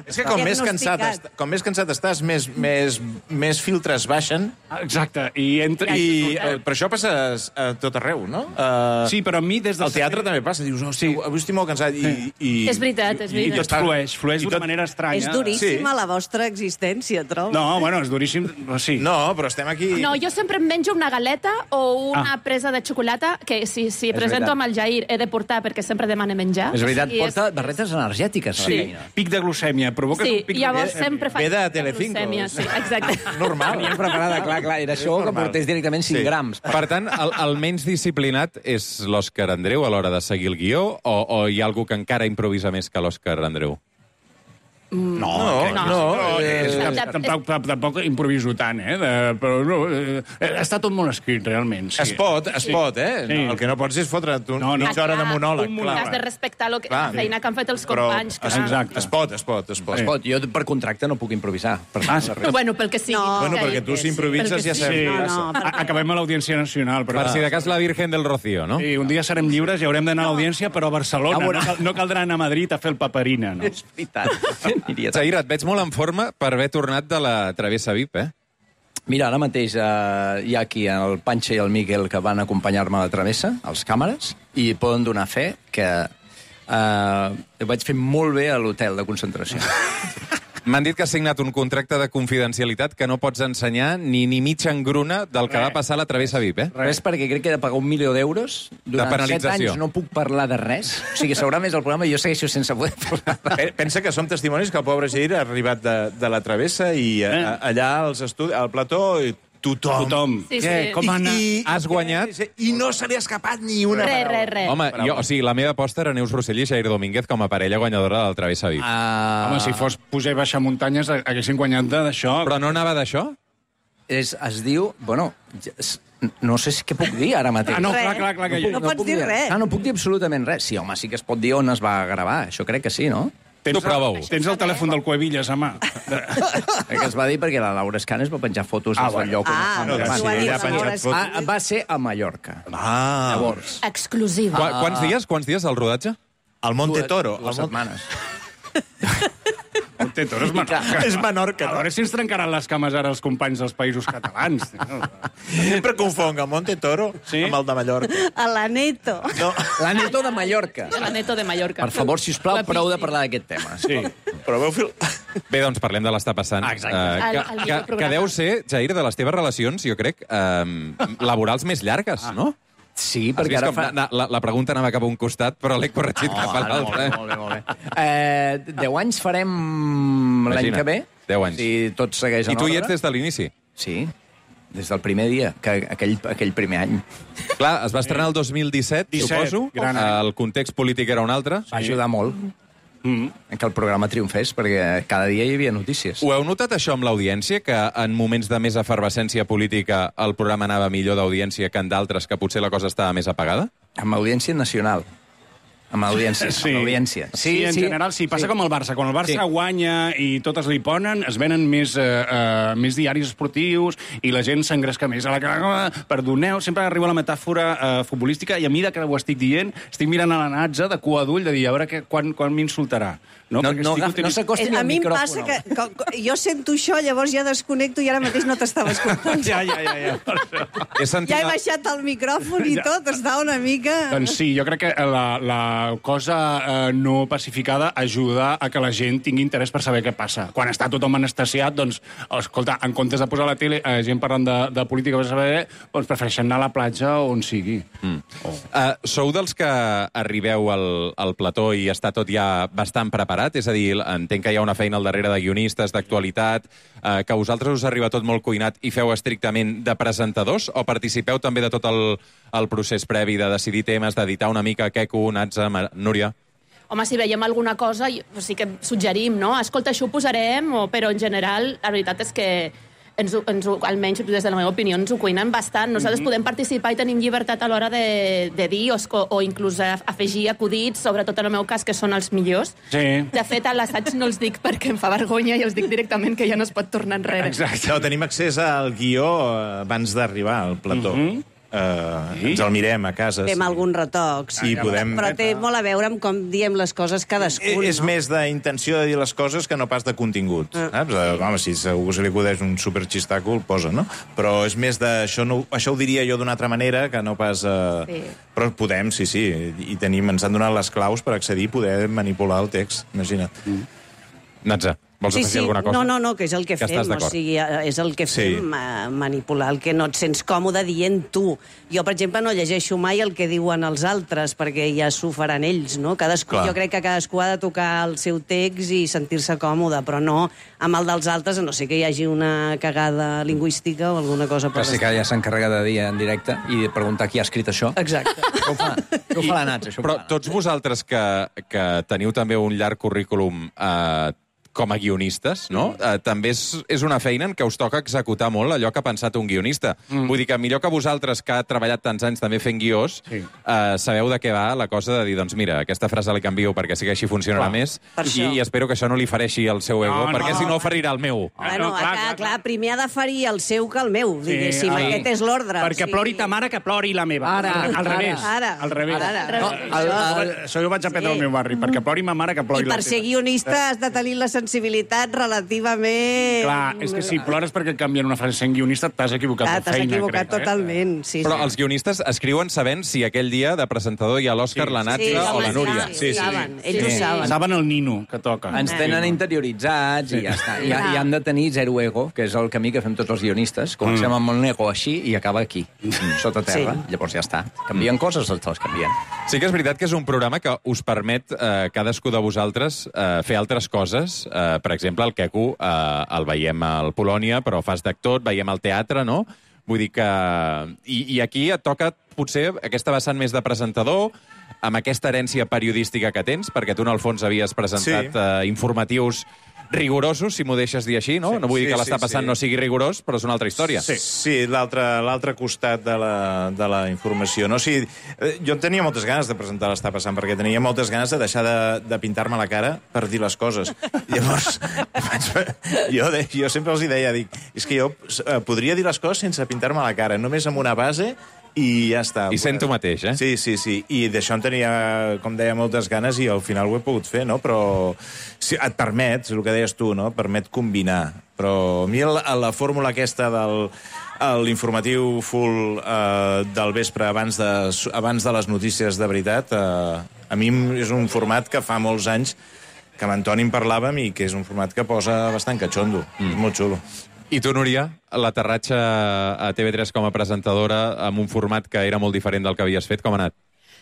És que com més, cansat, diagnosticat. est- com més cansat estàs, més, més, més filtres baixen. Exacte. I, entre, I eh, per això passa a tot arreu, no? Uh, Sí, però a mi des del... Al teatre també passa. Dius, hosti, sí. avui estic molt cansat. I, i, És veritat, és I veritat. tot flueix, flueix d'una manera estranya. És duríssima la vostra existència, trobo. No, bueno, és duríssim, sí. No, però estem aquí... No, jo sempre em menjo una galeta o una ah. presa de xocolata, que si, si presento veritat. amb el Jair he de portar perquè sempre demana menjar. És veritat, I porta barretes energètiques a la Sí, feina. pic de glucèmia. Provoques Sí, un pic llavors de glucèmia. sempre faig... Ve de Telecinco. glucèmia, Sí, exacte. Normal. Venia preparada, clar, clar, era això que normal. portés directament cinc Sí. grams. Per tant, el, el menys disciplinat és l'Òscar Andreu a l'hora de seguir el guió o, o hi ha algú que encara improvisa més que l'Òscar Andreu? No, No, no, no, eh, és- tampoc, tampoc, tampoc improviso tant, eh? De, però no, eh, està tot molt escrit, realment. Sí. Es pot, es Sí. pot, eh? Sí. No, el que no pots és fotre't un, No, no. mitja hora de monòleg. Un clar. Has de respectar lo que, Clar. la feina que han fet els Però companys. es, clar. Exacte. es pot, es pot, es pot. Es pot, jo per contracte no puc improvisar. Per Ah, sí. Bueno, pel que sigui. No. Bueno, Jair. perquè tu si improvises Perquè ja sí. sabem Sí, què No, passa. no, perquè... Acabem a l'Audiència Nacional. Però, Per si de cas la Virgen del Rocío, no? Sí, un dia serem lliures i haurem d'anar a l'Audiència, però a Barcelona. A No, veure. cal, no caldrà anar a Madrid a fer el paperina, no? És veritat. Aniria Zahir, et veig molt en forma per haver tornat de la travessa V I P, eh? Mira, ara mateix eh, hi ha aquí el Panxa i el Miquel que van acompanyar-me a la travessa, els càmeres, i poden donar fe que eh, vaig fer molt bé a l'hotel de concentració. M'han dit que has signat un contracte de confidencialitat que no pots ensenyar ni ni mitja engruna del que va passar a la travessa V I P, eh? Res, perquè crec que he de pagar un milió d'euros. Durant set penalització. anys no puc parlar de res. O sigui, s'haurà més el programa i jo segueixo sense poder parlar de res. Pe- Pensa que som testimonis que el pobre Jair ha arribat de, de la travessa i a, a, allà als estudis, al plató, i tothom. Tothom. Sí, Què? sí. Com han... I, Has guanyat? I no se li ha escapat ni una Res, paraula. res, res. Home, jo, o sigui, la meva aposta era Neus Rossell i Jair Domínguez com a parella guanyadora del Travessa Vic. Uh, Home, si fos pujar i baixar muntanyes, haguessin guanyat de- d'això. Però no anava d'això? És, es diu... Bueno, es- no sé si què puc dir ara mateix. Ah, no, Res. clar, clar, clar, que No jo... pots dir res. Ah, no puc dir absolutament res. Sí, home, sí que es pot dir on es va gravar. Això crec que sí, no? Tens, Tu prova-ho. Tens el telèfon del Cuevillas a mà. Que es va dir perquè la Laura Escanes va penjar fotos Ah, des del bueno. lloc. on Ah, es no, va sí, gravar. ella ha penjat Laura fotos. Ah, va ser a Mallorca. Ah, Llavors, Exclusiva. Qua, quants dies? Quants dies del rodatge? al Monte Toro. dues Al Monte... setmanes. Monte Toro és Menorca. És Menorca, A no? veure si ens trencaran les cames ara els companys dels països catalans. Sempre confonc el Monte Toro Sí? amb el de Mallorca. A la Neto. No, La Neto de Mallorca. La Neto de Mallorca. Per favor, sisplau, La prou de Pisti. parlar d'aquest tema. Sí. però veu fil... Bé, doncs parlem de l'estar passant. Ah, exacte. Eh, El- que, el que, millor programa. que deu ser, Jair, de les teves relacions, jo crec, eh, laborals més llargues, no? Sí, Has perquè vist ara com fa... na- la, la pregunta anava cap a un costat, però l'he corregit No, cap a no, l'altre. molt bé, molt bé, molt bé. Eh, deu anys farem l'any Imagina't, que ve. deu anys. Si tot segueix en I tu hi ordre. ets des de l'inici? Sí, des del primer dia, que aquell, aquell primer any. Clar, es va estrenar el dos mil disset, disset, suposo. gran any. El context polític era un altre. Va ajudar molt Mm. en que el programa triomfés, perquè cada dia hi havia notícies. Ho heu notat, això, amb l'audiència, que en moments de més efervescència política el programa anava millor d'audiència que en d'altres, que potser la cosa estava més apagada? Amb audiència nacional. Amb audiència. Sí. Amb audiència. Sí, en general sí. Passa sí. com el Barça. Quan el Barça Sí. guanya i totes li ponen, es venen més, eh, eh, més diaris esportius i la gent s'engresca més. A la... Perdoneu, sempre arriba la metàfora eh, futbolística i a mi, de que ho estic dient, estic mirant a la Natza de cua d'ull de dir, a veure que, quan, quan m'insultarà. No, Perquè no, estic agaf- no utilitzant- s'acosti ni A al mi em micròfon. passa que, que, que jo sento això, llavors ja desconnecto i ara mateix no t'estava escoltant. Ja, ja, ja. ja. He sentit... Ja he baixat el micròfon i Ja. tot, està una mica... Doncs sí, jo crec que la, la cosa eh, no pacificada ajuda a que la gent tingui interès per saber què passa. Quan està tothom anestesiat, doncs, escolta, en comptes de posar a la tele eh, gent parlant de, de política per saber, doncs prefereixen anar a la platja o on sigui. Mm. Oh. Uh, sou dels que arribeu al, al plató i està tot ja bastant preparat? És a dir, entenc que hi ha una feina al darrere de guionistes, d'actualitat, uh, que a vosaltres us arriba tot molt cuinat i feu estrictament de presentadors, o participeu també de tot el, el procés previ de decidir temes, d'editar una mica Queco, Natza, Mar- Núria? Home, si veiem alguna cosa, i- sí que suggerim, no? Escolta, això ho posarem, o, però en general, la veritat és que ens, ho- ens, ho- almenys des de la meva opinió, ens ho cuinen bastant. Nosaltres Mhm. podem participar i tenim llibertat a l'hora de, de dir o, esco- o inclús a- afegir acudits, sobretot en el meu cas, que són els millors. Sí. De fet, a l'assaig no els dic perquè em fa vergonya i els dic directament que ja no es pot tornar enrere. Exacte. No, tenim accés al guió eh, abans d'arribar al plató. Mm -hmm. Uh, ens el mirem a casa. Fem algun retoc. Sí, podem... Però té molt a veure amb com diem les coses cadascun, És no? més d'intenció de dir les coses que no pas de contingut. Ah. Saps? Eh, Home, si segur se li acudeix un superxistàcul, el posa, no? Però és més de... Això, no, això ho diria jo d'una altra manera que no pas... Eh... Sí. Però podem, sí, sí. I tenim, ens han donat les claus per accedir i poder manipular el text. Imagina't. Mm. Natza, vols Sí, afegir sí, alguna cosa? no, no, no, que és el que, Que fem, estàs o d'acord. sigui, eh, és el que Sí. fem, ma- manipular el que no et sents còmode dient tu. Jo, per exemple, no llegeixo mai el que diuen els altres, perquè ja s'ho faran ells, no? Cadascú, Clar. jo crec que cadascú ha de tocar el seu text i sentir-se còmode, però no amb el dels altres, a no sé que hi hagi una cagada lingüística o alguna cosa per Que sí que ja s'encarrega de dir en directe i de preguntar qui ha escrit això. Exacte. Què ho fa? Què ho fa la Natza, això? Però tots vosaltres que, que teniu també un llarg currículum eh, com a guionistes, no? Eh, també és, és una feina en què us toca executar molt allò que ha pensat un guionista. Mm. Vull dir que millor que vosaltres, que ha treballat tants anys també fent guions, Sí. eh, sabeu de què va la cosa de dir, doncs mira, aquesta frase la canvio perquè sí que així funcionarà Clar, més, per i, això. i espero que això no li fereixi el seu ego, No, no, perquè no. si no ferirà el meu. Bueno, no, clar, clar, clar, clar, clar, primer ha de ferir el seu que el meu, diguéssim. sí. Aquest és l'ordre. Perquè plori ta mare que plori la meva. Ara, al ara, revés. ara. al revés. Ara. No, Al- això, al- això jo ho vaig aprendre Sí. al meu barri. Perquè plori ma mare que plori I la per teva. ser guionista has de tenir la sensibilitat relativament... Clar, és que si plores perquè et canvien una frase sent guionista, t'has equivocat Ah, de t'has feina. equivocat crec, totalment, sí, Però sí. els guionistes escriuen sabent si aquell dia de presentador hi ha l'Òscar, Sí. la Natza Sí, o la home, Núria. sí, sí, saben, ells ho Eh? saben. Saben el nino que toca. Ens tenen interioritzats i ja està. I, I han de tenir zero ego, que és el camí que fem tots els guionistes. Comencem Mm. amb un ego així i acaba aquí, sota terra. Sí. Llavors ja està. Canvien coses, els les canvien. Sí que és veritat que és un programa que us permet, eh, cadascú de vosaltres, eh, fer altres coses Uh, per exemple, el Queco uh, el veiem al Polònia, però fas d'actor, et veiem al teatre, no? Vull dir que... I, I aquí et toca, potser, aquesta vessant més de presentador, amb aquesta herència periodística que tens, perquè tu, en el fons, havies presentat sí. uh, informatius rigorosos, si m'ho deixes dir així, no? Sí, no vull dir sí, que l'està passant sí. no sigui rigorós, però és una altra història. Sí, sí l'altre costat de la, de la informació. No? O sigui, jo tenia moltes ganes de presentar l'està passant, perquè tenia moltes ganes de deixar de, de pintar-me la cara per dir les coses. Llavors, jo, de, jo sempre els hi deia, dic, és que jo podria dir les coses sense pintar-me la cara, només amb una base... I ja està. I sent tu mateix, eh? Sí, sí, sí. I d'això en tenia, com deia, moltes ganes i al final ho he pogut fer, no? Però sí, et permet, és el que deies tu, no? Permet combinar. Però a mi la, la fórmula aquesta del l'informatiu full eh, del vespre abans de, abans de les notícies de veritat, eh, a mi és un format que fa molts anys que amb Antoni en parlàvem i que és un format que posa bastant catxondo. Mm. És molt xulo. I tu, Núria, l'aterratge a T V tres com a presentadora amb un format que era molt diferent del que havies fet, com ha anat?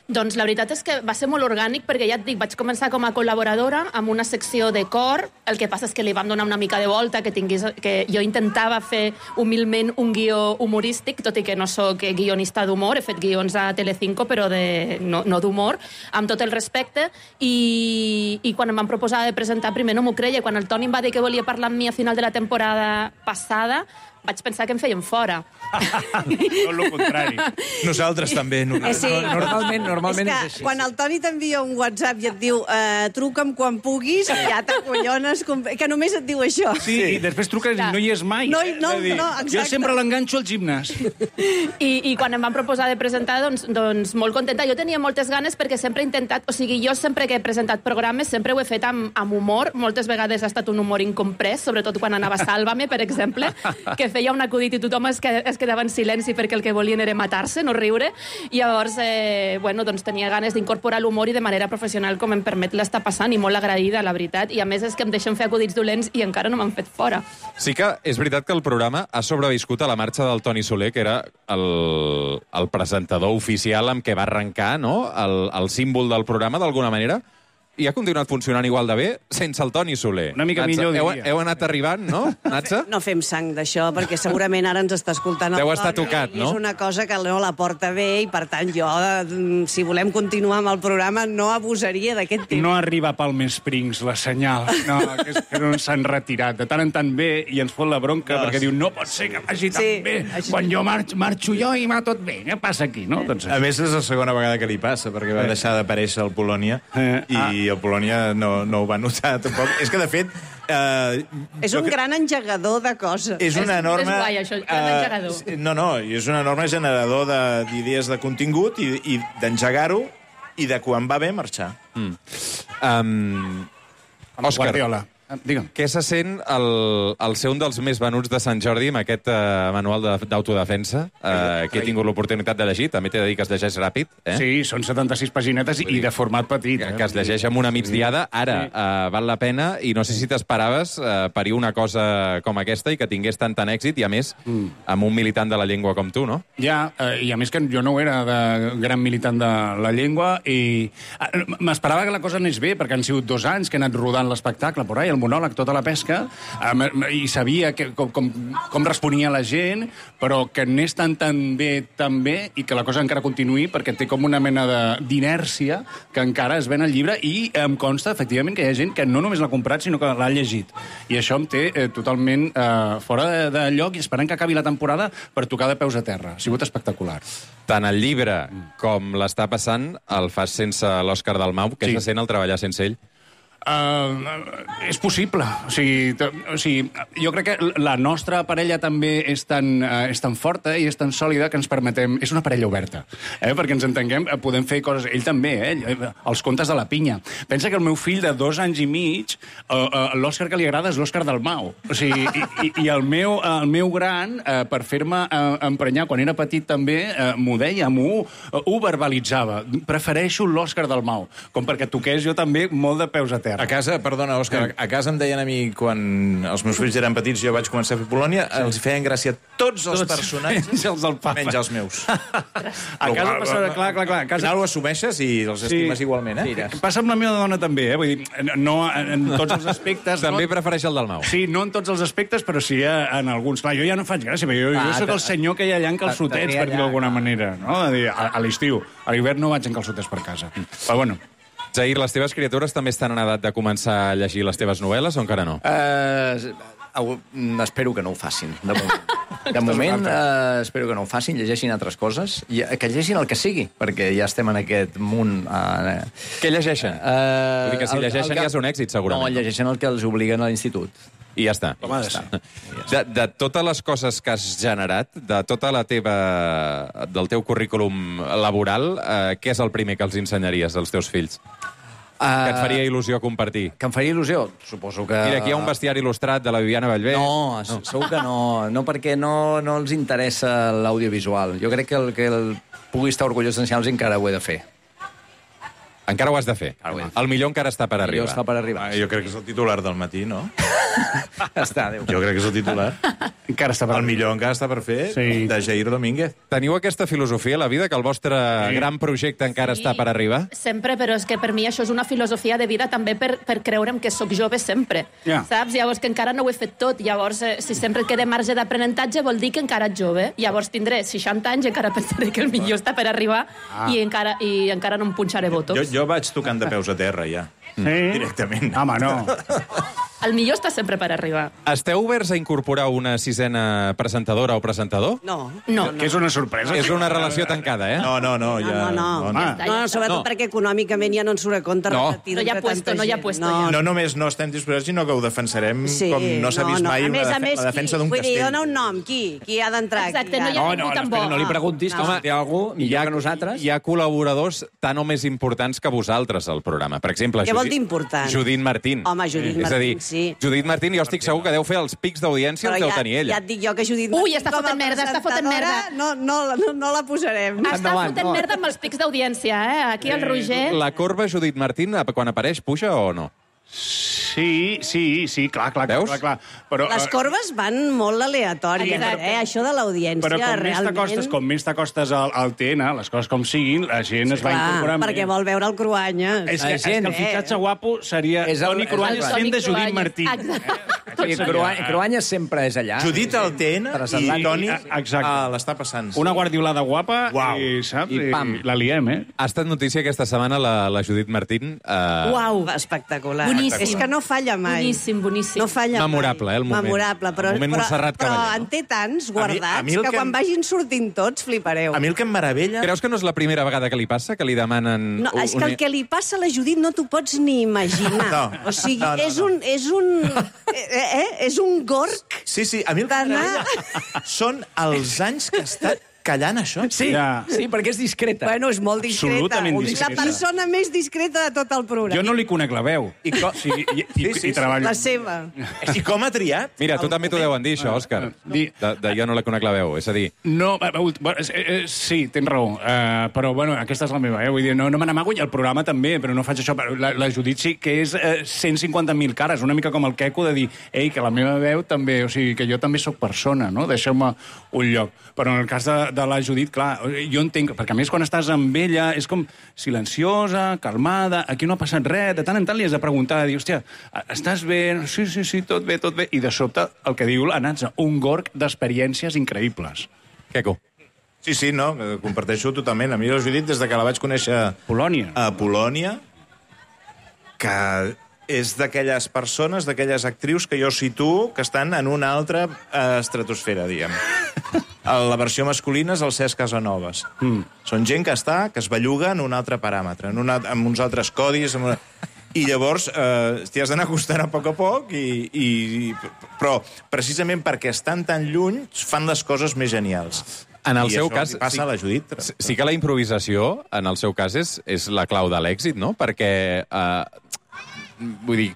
Doncs la veritat és que va ser molt orgànic, perquè ja et dic, vaig començar com a col·laboradora amb una secció de cor, el que passa és que li vam donar una mica de volta, que, tingués, que jo intentava fer humilment un guió humorístic, tot i que no sóc guionista d'humor, he fet guions a Telecinco, però de, no, no d'humor, amb tot el respecte, i, i quan em van proposar de presentar, primer no m'ho creia, quan el Toni em va dir que volia parlar amb mi a final de la temporada passada, vaig pensar que em feien fora. Tot el contrari. Nosaltres també. No, eh, sí. Normalment, normalment és, que és així. Quan el Toni t'envia un WhatsApp i et diu eh, truca'm quan puguis, ja t'acollones, que només et diu això. Sí, sí. I després truques i no hi és mai. No, no, no, exacte. Jo sempre l'enganxo al gimnàs. I, I quan em van proposar de presentar, doncs, doncs molt contenta. Jo tenia moltes ganes perquè sempre he intentat... O sigui, jo sempre que he presentat programes sempre ho he fet amb, amb humor. Moltes vegades ha estat un humor incomprès, sobretot quan anava a Sálvame, per exemple, que feia un acudit i tothom es, es quedava en silenci perquè el que volien era matar-se, no riure. I llavors, eh, bueno, doncs tenia ganes d'incorporar l'humor i de manera professional com em permet l'està passant, i molt agraïda, la veritat. I a més és que em deixen fer acudits dolents i encara no m'han fet fora. Sí que és veritat que el programa ha sobreviscut a la marxa del Toni Soler, que era el, el presentador oficial amb què va arrencar, no? El, el símbol del programa, d'alguna manera. I ha continuat funcionant igual de bé sense el Toni Soler. Una mica Natza, millor, heu, diria. heu anat arribant, no, Natza? No fem sang d'això, perquè segurament ara ens està escoltant el Deu Toni. estar tocat, no? És una cosa que no la porta bé i, per tant, jo, si volem continuar amb el programa, no abusaria d'aquest temps. No arriba Palm Springs, la senyal. No, que, és, que no s'han retirat. De tant en tant bé i ens fot la bronca, no, perquè diu, no pot ser que vagi tan sí, bé. Així... Quan jo marxo, marxo jo i va tot bé. Què passa aquí, no? Doncs... A més, és la segona vegada que li passa, perquè va deixar d'aparèixer al Polònia eh, i ah. el Polònia no No, no ho va notar tampoc. És que, de fet... Eh, és un gran engegador de coses. És una enorme... És guai, això, gran uh, engegador. No, no, és un enorme generador d'idees de, de contingut i, i d'engegar-ho i de quan va bé marxar. Mm. Um, Òscar, Guardiola. Digue'm. Què se sent el, el ser un dels més venuts de Sant Jordi amb aquest uh, manual d'autodefensa uh, que he tingut l'oportunitat de llegir? També t'he de dir que es llegeix ràpid. Eh? Sí, són setanta-sis paginetes i de format petit. Que, eh? que es llegeix amb una migdiada. Ara, sí. uh, val la pena, i no sé si t'esperaves uh, parir una cosa com aquesta i que tingués tant tant èxit, i a més, mm. amb un militant de la llengua com tu, no? Ja, uh, i a més que jo no era de gran militant de la llengua, i uh, m'esperava que la cosa anés bé, perquè han sigut dos anys que he anat rodant l'espectacle, por ahí, el monòleg, tota la pesca, um, i sabia que, com, com, com responia la gent, però que anés tan, tan bé, tan bé, i que la cosa encara continuï, perquè té com una mena d'inèrcia que encara es ven al llibre, i em consta, efectivament, que hi ha gent que no només l'ha comprat, sinó que l'ha llegit. I això em té eh, totalment eh, fora de, de lloc, i esperant que acabi la temporada per tocar de peus a terra. Ha sigut espectacular. Tant el llibre com l'està passant el fas sense l'Òscar Dalmau, que sí. Se sent el treballar sense ell. Uh, és possible. O sigui, o sigui, jo crec que la nostra parella també és tan, uh, és tan forta i és tan sòlida que ens permetem... És una parella oberta, eh? Perquè ens entenguem, podem fer coses... Ell també, eh? Els contes de la pinya. Pensa que el meu fill de dos anys i mig, uh, uh, l'Òscar que li agrada és l'Òscar Dalmau. O sigui, i, i, i el, meu, el meu gran, uh, per fer-me uh, emprenyar quan era petit també, uh, m'ho deia, m'ho uh, ho verbalitzava. Prefereixo l'Òscar Dalmau, com perquè toqués jo també molt de peus a terra. terra. A casa, perdona, Òscar, a casa em deien a mi, quan els meus fills eren petits, jo vaig començar a fer Polònia, sí. els feien gràcia tots els tots personatges, menys els del papa. Menys els meus. A casa passa, clar, clar, clar. A casa... Al final ho assumeixes i els estimes sí. igualment, eh? Sí, passa amb la meva dona també, eh? Vull dir, no en tots els aspectes... També no... prefereix el del Mau. Sí, no en tots els aspectes, però sí en alguns. Clar, jo ja no faig gràcia, però jo, ah, jo sóc el senyor que hi ha allà en calçotets, per dir-ho d'alguna manera, no? A, dir, a, a l'estiu. A l'hivern no vaig en calçotets per casa. Però bueno... Zahir, les teves criatures també estan en edat de començar a llegir les teves novel·les o encara no? Uh, espero que no ho facin, de moment. De moment, uh, espero que no ho facin, llegeixin altres coses, i que llegeixin el que sigui, perquè ja estem en aquest munt... Uh, Què llegeixen? Uh, Vull dir que si el, llegeixen el que... ja és un èxit, segurament. No, llegeixen el que els obliguen a l'institut. I ja està. Ja està. De, de totes les coses que has generat, de tota la teva... del teu currículum laboral, uh, què és el primer que els ensenyaries als teus fills? Uh, que et faria il·lusió compartir. Que em faria il·lusió? Suposo que... Mira, aquí hi ha un bestiari il·lustrat de la Viviana Bellver. No, no. Segur que no. No, perquè no, no els interessa l'audiovisual. Jo crec que el que el pugui estar orgullós d'ensenyar-los encara ho he de fer. Encara ho has de fer. El millor encara està per arribar. Està per arribar. Ah, jo crec que és el titular del matí, no? Està, Déu. Jo crec que és el titular. Encara està per el millor encara està per fer, sí. De Jair Domínguez. Teniu aquesta filosofia a la vida, que el vostre sí. gran projecte encara sí. està per arribar? Sempre, però és que per mi això és una filosofia de vida també per, per creure'm que sóc jove sempre. Yeah. Saps? Llavors que encara no ho he fet tot. Llavors, eh, si sempre et queda marge d'aprenentatge, vol dir que encara ets jove. Llavors tindré seixanta anys i encara pensaré que el millor està per arribar ah. i, encara, i encara no em punxaré botox. Jo, jo vaig tocant de peus a terra, ja. Sí? Directament. Home, no. El millor està sempre per arribar. Esteu oberts a incorporar una sisena presentadora o presentador? No. No, no. Que és una sorpresa. És una relació tancada, eh? No, no, no. Ja... No, no, no. no, no, no sobretot no. perquè econòmicament ja no ens surt a compte no. repetir. No hi ha puesto, no hi ha puesto. No. no només no estem disposats, sinó que ho defensarem sí, com no s'ha vist no, no. mai a més, una a més, la defensa d'un castell. Vull dir, dona un nom. Qui? Qui ha d'entrar? Exacte, no hi ha no, ningú no, tan bo. No li preguntis, no. Home, hi ha algú millor que nosaltres. Hi ha col·laboradors tan o més importants que vosaltres al programa. Per exemple, Què vol dir important? Judit Martín. Home, Judit Martín, és a dir, sí. Judit Martín, jo estic segur que deu fer els pics d'audiència, els deu tenir ella. Ja et dic jo que Judit Martín... Ui, està fotent merda, està fotent merda. No, no, no, no la posarem. Està Endavant, fotent no. merda amb els pics d'audiència, eh? Aquí el Roger... La corba Judit Martín, quan apareix, puja o no? Sí, sí, sí, clar, clar, Veus? clar, clar. Però, les corbes van molt aleatòries, eh? Això de l'audiència, però com realment... Més t'acostes, com més t'acostes al, al T N, les coses com siguin, la gent sí, es va clar, incorporant... perquè vol veure el Cruanyes. És que, és que el fitxatge guapo seria és el, Toni Cruanyes fent de Judit Martín. Sí, Cruanyes sempre és allà. Judit al T N i Toni l'està passant. Una guardiolada guapa i, saps? I, pam. La liem, eh? Ha estat notícia aquesta setmana la, la Judit Martín. Uh... Uau, espectacular. Boníssim. És que no falla mai. Boníssim, boníssim. No falla Memorable, mai. eh, el moment. Memorable, però, el moment però, Montserrat però Caballé, en té tants guardats a mi, a mi que, que quan vagin sortint tots flipareu. A mi el que em meravella... Creus que no és la primera vegada que li passa, que li demanen... No, és que el que li passa a la Judit no t'ho pots ni imaginar. No. O sigui, no, no, és un... És un, eh, eh, és un gorg. Sí, sí, a mi el que em meravella són els anys que ha estat callant això. Sí, ja. sí, perquè és discreta. Bueno, és molt discreta. Absolutament discreta. La persona més discreta de tot el programa. Jo no li conec la veu. I, com... sí, i, i, sí, sí, i treballo. La seva. I com ha triat? Mira, tu també t'ho deuen dir, això, Òscar. De, de jo no la conec la veu, és a dir... No, sí, tens raó. Uh, però, bueno, aquesta és la meva, eh? Vull dir, no, no me n'amago, i el programa també, però no faig això. La, la Judit sí que és uh, cent cinquanta mil cares, una mica com el Queco de dir, ei, que la meva veu també, o sigui, que jo també sóc persona, no? Deixeu-me un lloc. Però en el cas de, de la Judit, clar, jo entenc, perquè a més quan estàs amb ella és com silenciosa, calmada, aquí no ha passat res, de tant en tant li has de preguntar, dir, hòstia, estàs bé? Sí, sí, sí, tot bé, tot bé. I de sobte, el que diu la Natza, un gorg d'experiències increïbles. Queco. Sí, sí, no, comparteixo totalment. A mi la Judit, des de que la vaig conèixer Polònia. a Polònia, que és d'aquelles persones, d'aquelles actrius que jo situo que estan en una altra eh, estratosfera, diguem. La versió masculina és el Cesc Casanovas. Mm. Són gent que està, que es belluga en un altre paràmetre, en una, amb uns altres codis... Amb una... I llavors eh, t'hi has d'anar acostant a poc a poc, i, i... però precisament perquè estan tan lluny fan les coses més genials. En el I seu això cas, passa sí, a la Judit. Sí que la improvisació, en el seu cas, és, és la clau de l'èxit, no? Perquè, eh, vull dir,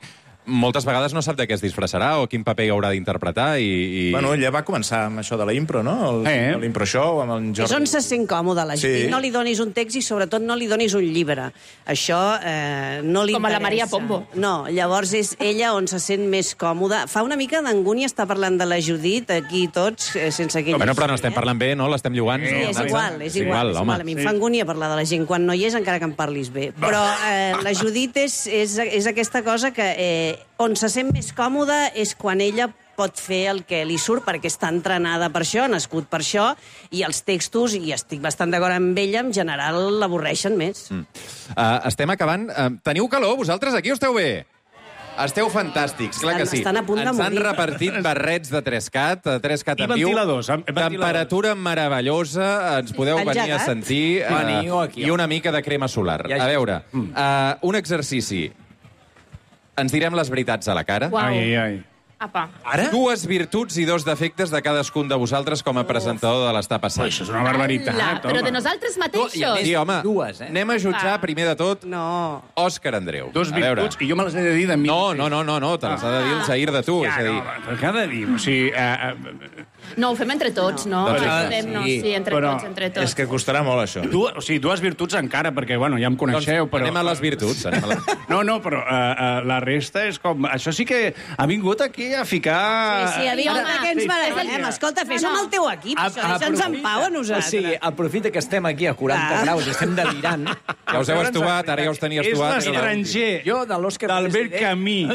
moltes vegades no sap de què es disfressarà o quin paper haurà d'interpretar i, i... Bueno, ella va començar amb això de la impro, no? El, Eh. L'impro show amb en Jordi. És on se sent còmode la Judit. Sí. No li donis un text i, sobretot, no li donis un llibre. Això eh, no li Com a la interessa. Maria Pombo. No, llavors és ella on se sent més còmoda. Fa una mica d'angúnia estar parlant de la Judit, aquí tots, eh, sense aquell... Bueno, però no estem parlant bé, no? L'estem llogant. Sí, no? és igual, és igual. És home. igual. A mi em fa angúnia parlar de la gent quan no hi és, encara que em parlis bé. Però eh, la Judit és, és, és aquesta cosa que eh, on se sent més còmoda és quan ella pot fer el que li surt, perquè està entrenada per això, ha nascut per això, i els textos, i estic bastant d'acord amb ella, en general l'avorreixen més. Mm. Uh, estem acabant. Uh, teniu calor, vosaltres aquí o esteu bé? Esteu fantàstics, clar que sí. Estan a punt de Ens han morir. repartit barrets de tres cat, de tres cat I en viu. ventiladors, amb- ventiladors. Temperatura meravellosa, ens podeu venir a Engegat. sentir. Uh, Veniu aquí. I una mica de crema solar. Ja, A ja. veure, uh, un exercici. Ens direm les veritats a la cara. Uau. Ai, ai, ai. Apa. Ara? Dues virtuts i dos defectes de cadascun de vosaltres com a presentador de l'Està Passant. Això és una barbaritat, Ala, però de home. nosaltres mateixos. Sí, home, Dues, eh? anem a jutjar, Ah. primer de tot, No. Òscar Andreu. Dos A veure. virtuts, i jo me les he de dir de mi. No, no, no, no, no te les ha de dir el Jair de tu. Ja, és a dir, no, però què ha de dir? O sigui, eh, eh, No, ho fem entre tots, no? Doncs, No, ah, podem, no, sí, sí, entre però tots, entre tots. És que costarà molt, això. du, o sigui, dues virtuts encara, perquè, bueno, ja em coneixeu, però... anem a les virtuts. Anem a les... No, no, però uh, uh, la resta és com... Això sí que ha vingut aquí a ficar... Sí, sí, a veure, Home, per què ens sí, barallem? sí. Escolta, fes No, no. amb el teu equip, això, deixa'ns en pau a nosaltres. O sigui, aprofita que estem aquí a quaranta Ah. graus i estem delirant. Ja us heu estuvat, ara ja us tenia És estuvat. l'estranger Jo, de l'Òscar... d'Albert Camí.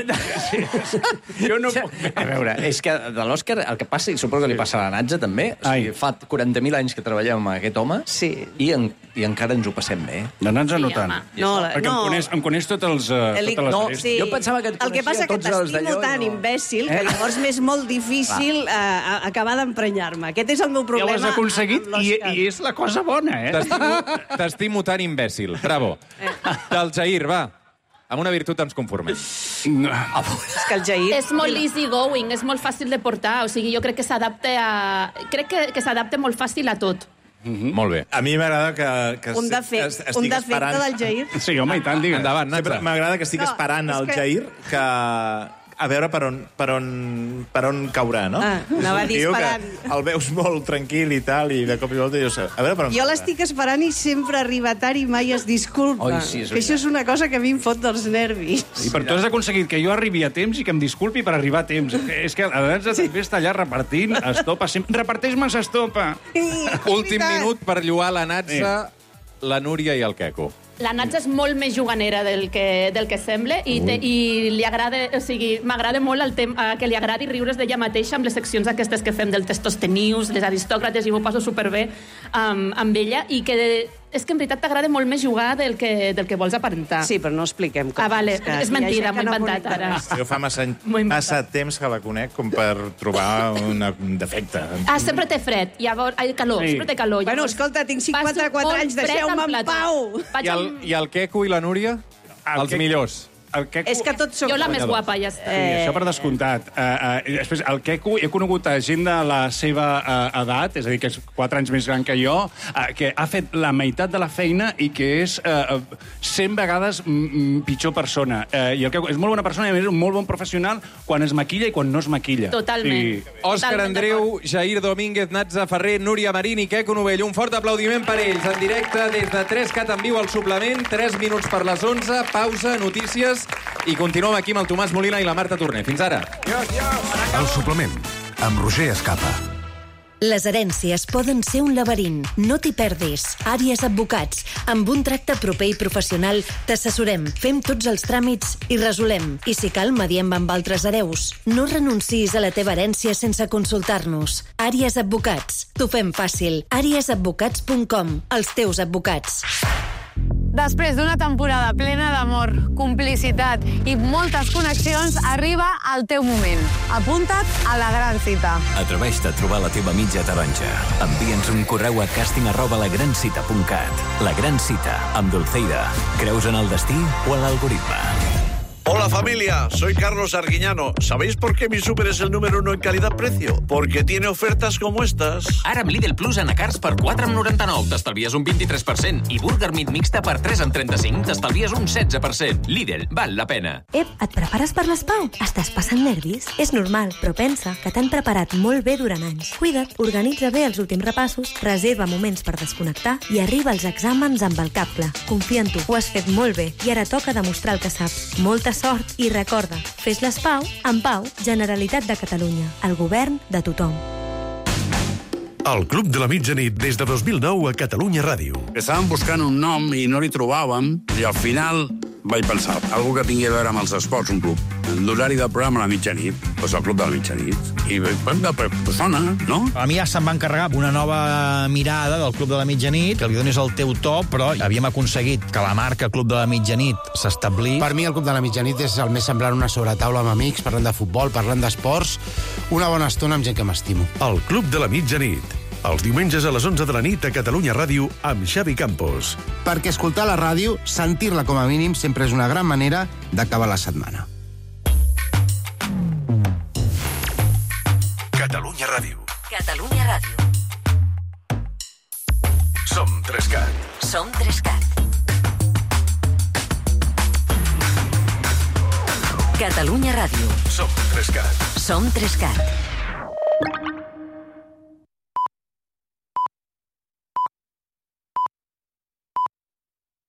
Jo no puc... A veure, és que de l'Òscar el que passa, i suposo que li passa a la Natza també, o sigui, Ai. fa quaranta mil anys que treballem amb aquest home Sí. i, en, i encara ens ho passem bé. No, no ens Sí, no tant. home. No, la- Perquè no. em coneix, em coneix tots els, uh, El- totes les no, arestes. sí. Jo pensava que et El que passa coneixia que tots els t'estimo d'allò i tan no. imbècil que Eh? llavors m'és molt difícil eh, acabar d'emprenyar-me. Aquest és el meu Ja problema. ho has aconseguit amb i, l'Òscar. i és la cosa bona, eh? T'estimo, t'estimo tan imbècil. Bravo. Del Jair, va. Amb una virtut ens conformem. No. És que el Jair... És molt easy going, és molt fàcil de portar. O sigui, jo crec que s'adapta a... Crec que, que s'adapta molt fàcil a tot. Mm-hmm. Molt bé. A mi m'agrada que, que Un defecte, es- estic un defecte esperant... del Jair. Sí, home, i tant, digues. Endavant, Sempre Natza. m'agrada que estic No, esperant és el que- Jair que... A veure per on, per on, per on caurà, no? Ah, anava a dir Diu que esperant. el veus molt tranquil i tal, i de cop i volta jo sé. A veure per on Jo caurà. l'estic esperant i sempre arriba tard i mai es disculpa. Oi, sí, és que això és una cosa que a mi em fot dels nervis. I per tu has aconseguit que jo arribi a temps i que em disculpi per arribar a temps. És que a vegades també està allà repartint estopa. Sempre... Reparteix-me estopa. Últim minut per lloar la Natza, la Núria i el Queco. La Natza és molt més juganera del que, del que sembla i, te, i li agrada, o sigui, m'agrada molt el tem, eh, que li agradi riure's d'ella mateixa amb les seccions aquestes que fem del Testostenius, les aristòcrates, i m'ho passo superbé amb, amb ella, i que és que en veritat t'agrada molt més jugar del que, del que vols aparentar. Sí, però no expliquem coses. Ah, vale, que és hi ha mentida, gent que m'ho he no inventat connecta ara. res. Jo fa massa, M'ho he inventat. massa temps que la conec com per trobar una, un defecte. Ah, sempre té fred, llavors, ai, calor, Sí. sempre té calor. Bueno, Llavors, escolta, tinc passo cinquanta-quatre molt anys, fred deixeu-me al en plató. pau. Vaig I el, amb... I el Queco i la Núria? El Els Queco- millors. El Queco... És que tots som... Jo la més guapa, ja està. Sí, això per descomptat. Uh, uh, després, el Queco, he conegut a gent de la seva uh, edat, és a dir, que és quatre anys més gran que jo, uh, que ha fet la meitat de la feina i que és uh, cent vegades mm, pitjor persona. Uh, I el Queco és molt bona persona i, a més, un molt bon professional quan es maquilla i quan no es maquilla. Totalment. Sí. Òscar Totalment Andreu, Jair Domínguez, Natza Ferrer, Núria Marín i Queco Novell. Un fort aplaudiment per ells, en directe des de tres cat en viu al suplement, tres minuts per les onze, pausa, notícies, i continuem aquí amb el Tomàs Molina i la Marta Torner. Fins ara. El suplement, amb Roger Escapa. Les herències poden ser un laberint. No t'hi perdis. Àries Advocats. Amb un tracte proper i professional t'assessorem, fem tots els tràmits i resolem. I si cal, mediem amb altres hereus. No renuncis a la teva herència sense consultar-nos. Àries Advocats. T'ho fem fàcil. àries advocats punt com. Els teus advocats. Després d'una temporada plena d'amor, complicitat i moltes connexions, arriba el teu moment. Apunta't a la gran cita. Atreveix-te a trobar la teva mitja taronja. Envia'ns un correu a casting arroba lagrancita punt cat. La Gran Cita, amb Dulceida. Creus en el destí o en l'algoritme? Hola familia, soy Carlos Arguiñano. ¿Sabéis por qué mi súper es el número uno en calidad-precio? Porque tiene ofertas como estas. Ara amb Lidl Plus anacards per quatre coma noranta-nou t'estalvies un vint-i-tres per cent i Burger Meat mixta per tres coma trenta-cinc t'estalvies un setze per cent. Lidl, val la pena. Ep, et prepares per les Pau? Estàs passant nervis? És normal, però pensa que t'han preparat molt bé durant anys. Cuida't, organitza bé els últims repassos, reserva moments per desconnectar i arriba als exàmens amb el cap clar. Confia en tu, ho has fet molt bé i ara toca demostrar el que saps. Molta sort i recorda, fes les Pau en Pau, Generalitat de Catalunya, el govern de tothom. El Club de la Mitjanit des de dos mil nou a Catalunya Ràdio. Estàvem buscant un nom i no li trobàvem i al final vaig pensar, algú que tingui a veure amb els esports, un club. L'horari del programa a la mitjanit, doncs el Club de la Mitjanit. I pues sona, no? A mi ja se'm va encarregar una nova mirada del Club de la Mitjanit, que li donis el teu to, però havíem aconseguit que la marca Club de la Mitjanit s'establís. Per mi el Club de la Mitjanit és el més semblant a una sobretaula amb amics, parlant de futbol, parlant d'esports, una bona estona amb gent que m'estimo. El Club de la Mitjanit. Els diumenges a les onze de la nit a Catalunya Ràdio amb Xavi Campos. Perquè escoltar la ràdio, sentir-la com a mínim, sempre és una gran manera d'acabar la setmana. Catalunya Ràdio. Catalunya Ràdio. Som Trescat. Som Trescat. Catalunya Ràdio. Som Trescat. Som Trescat.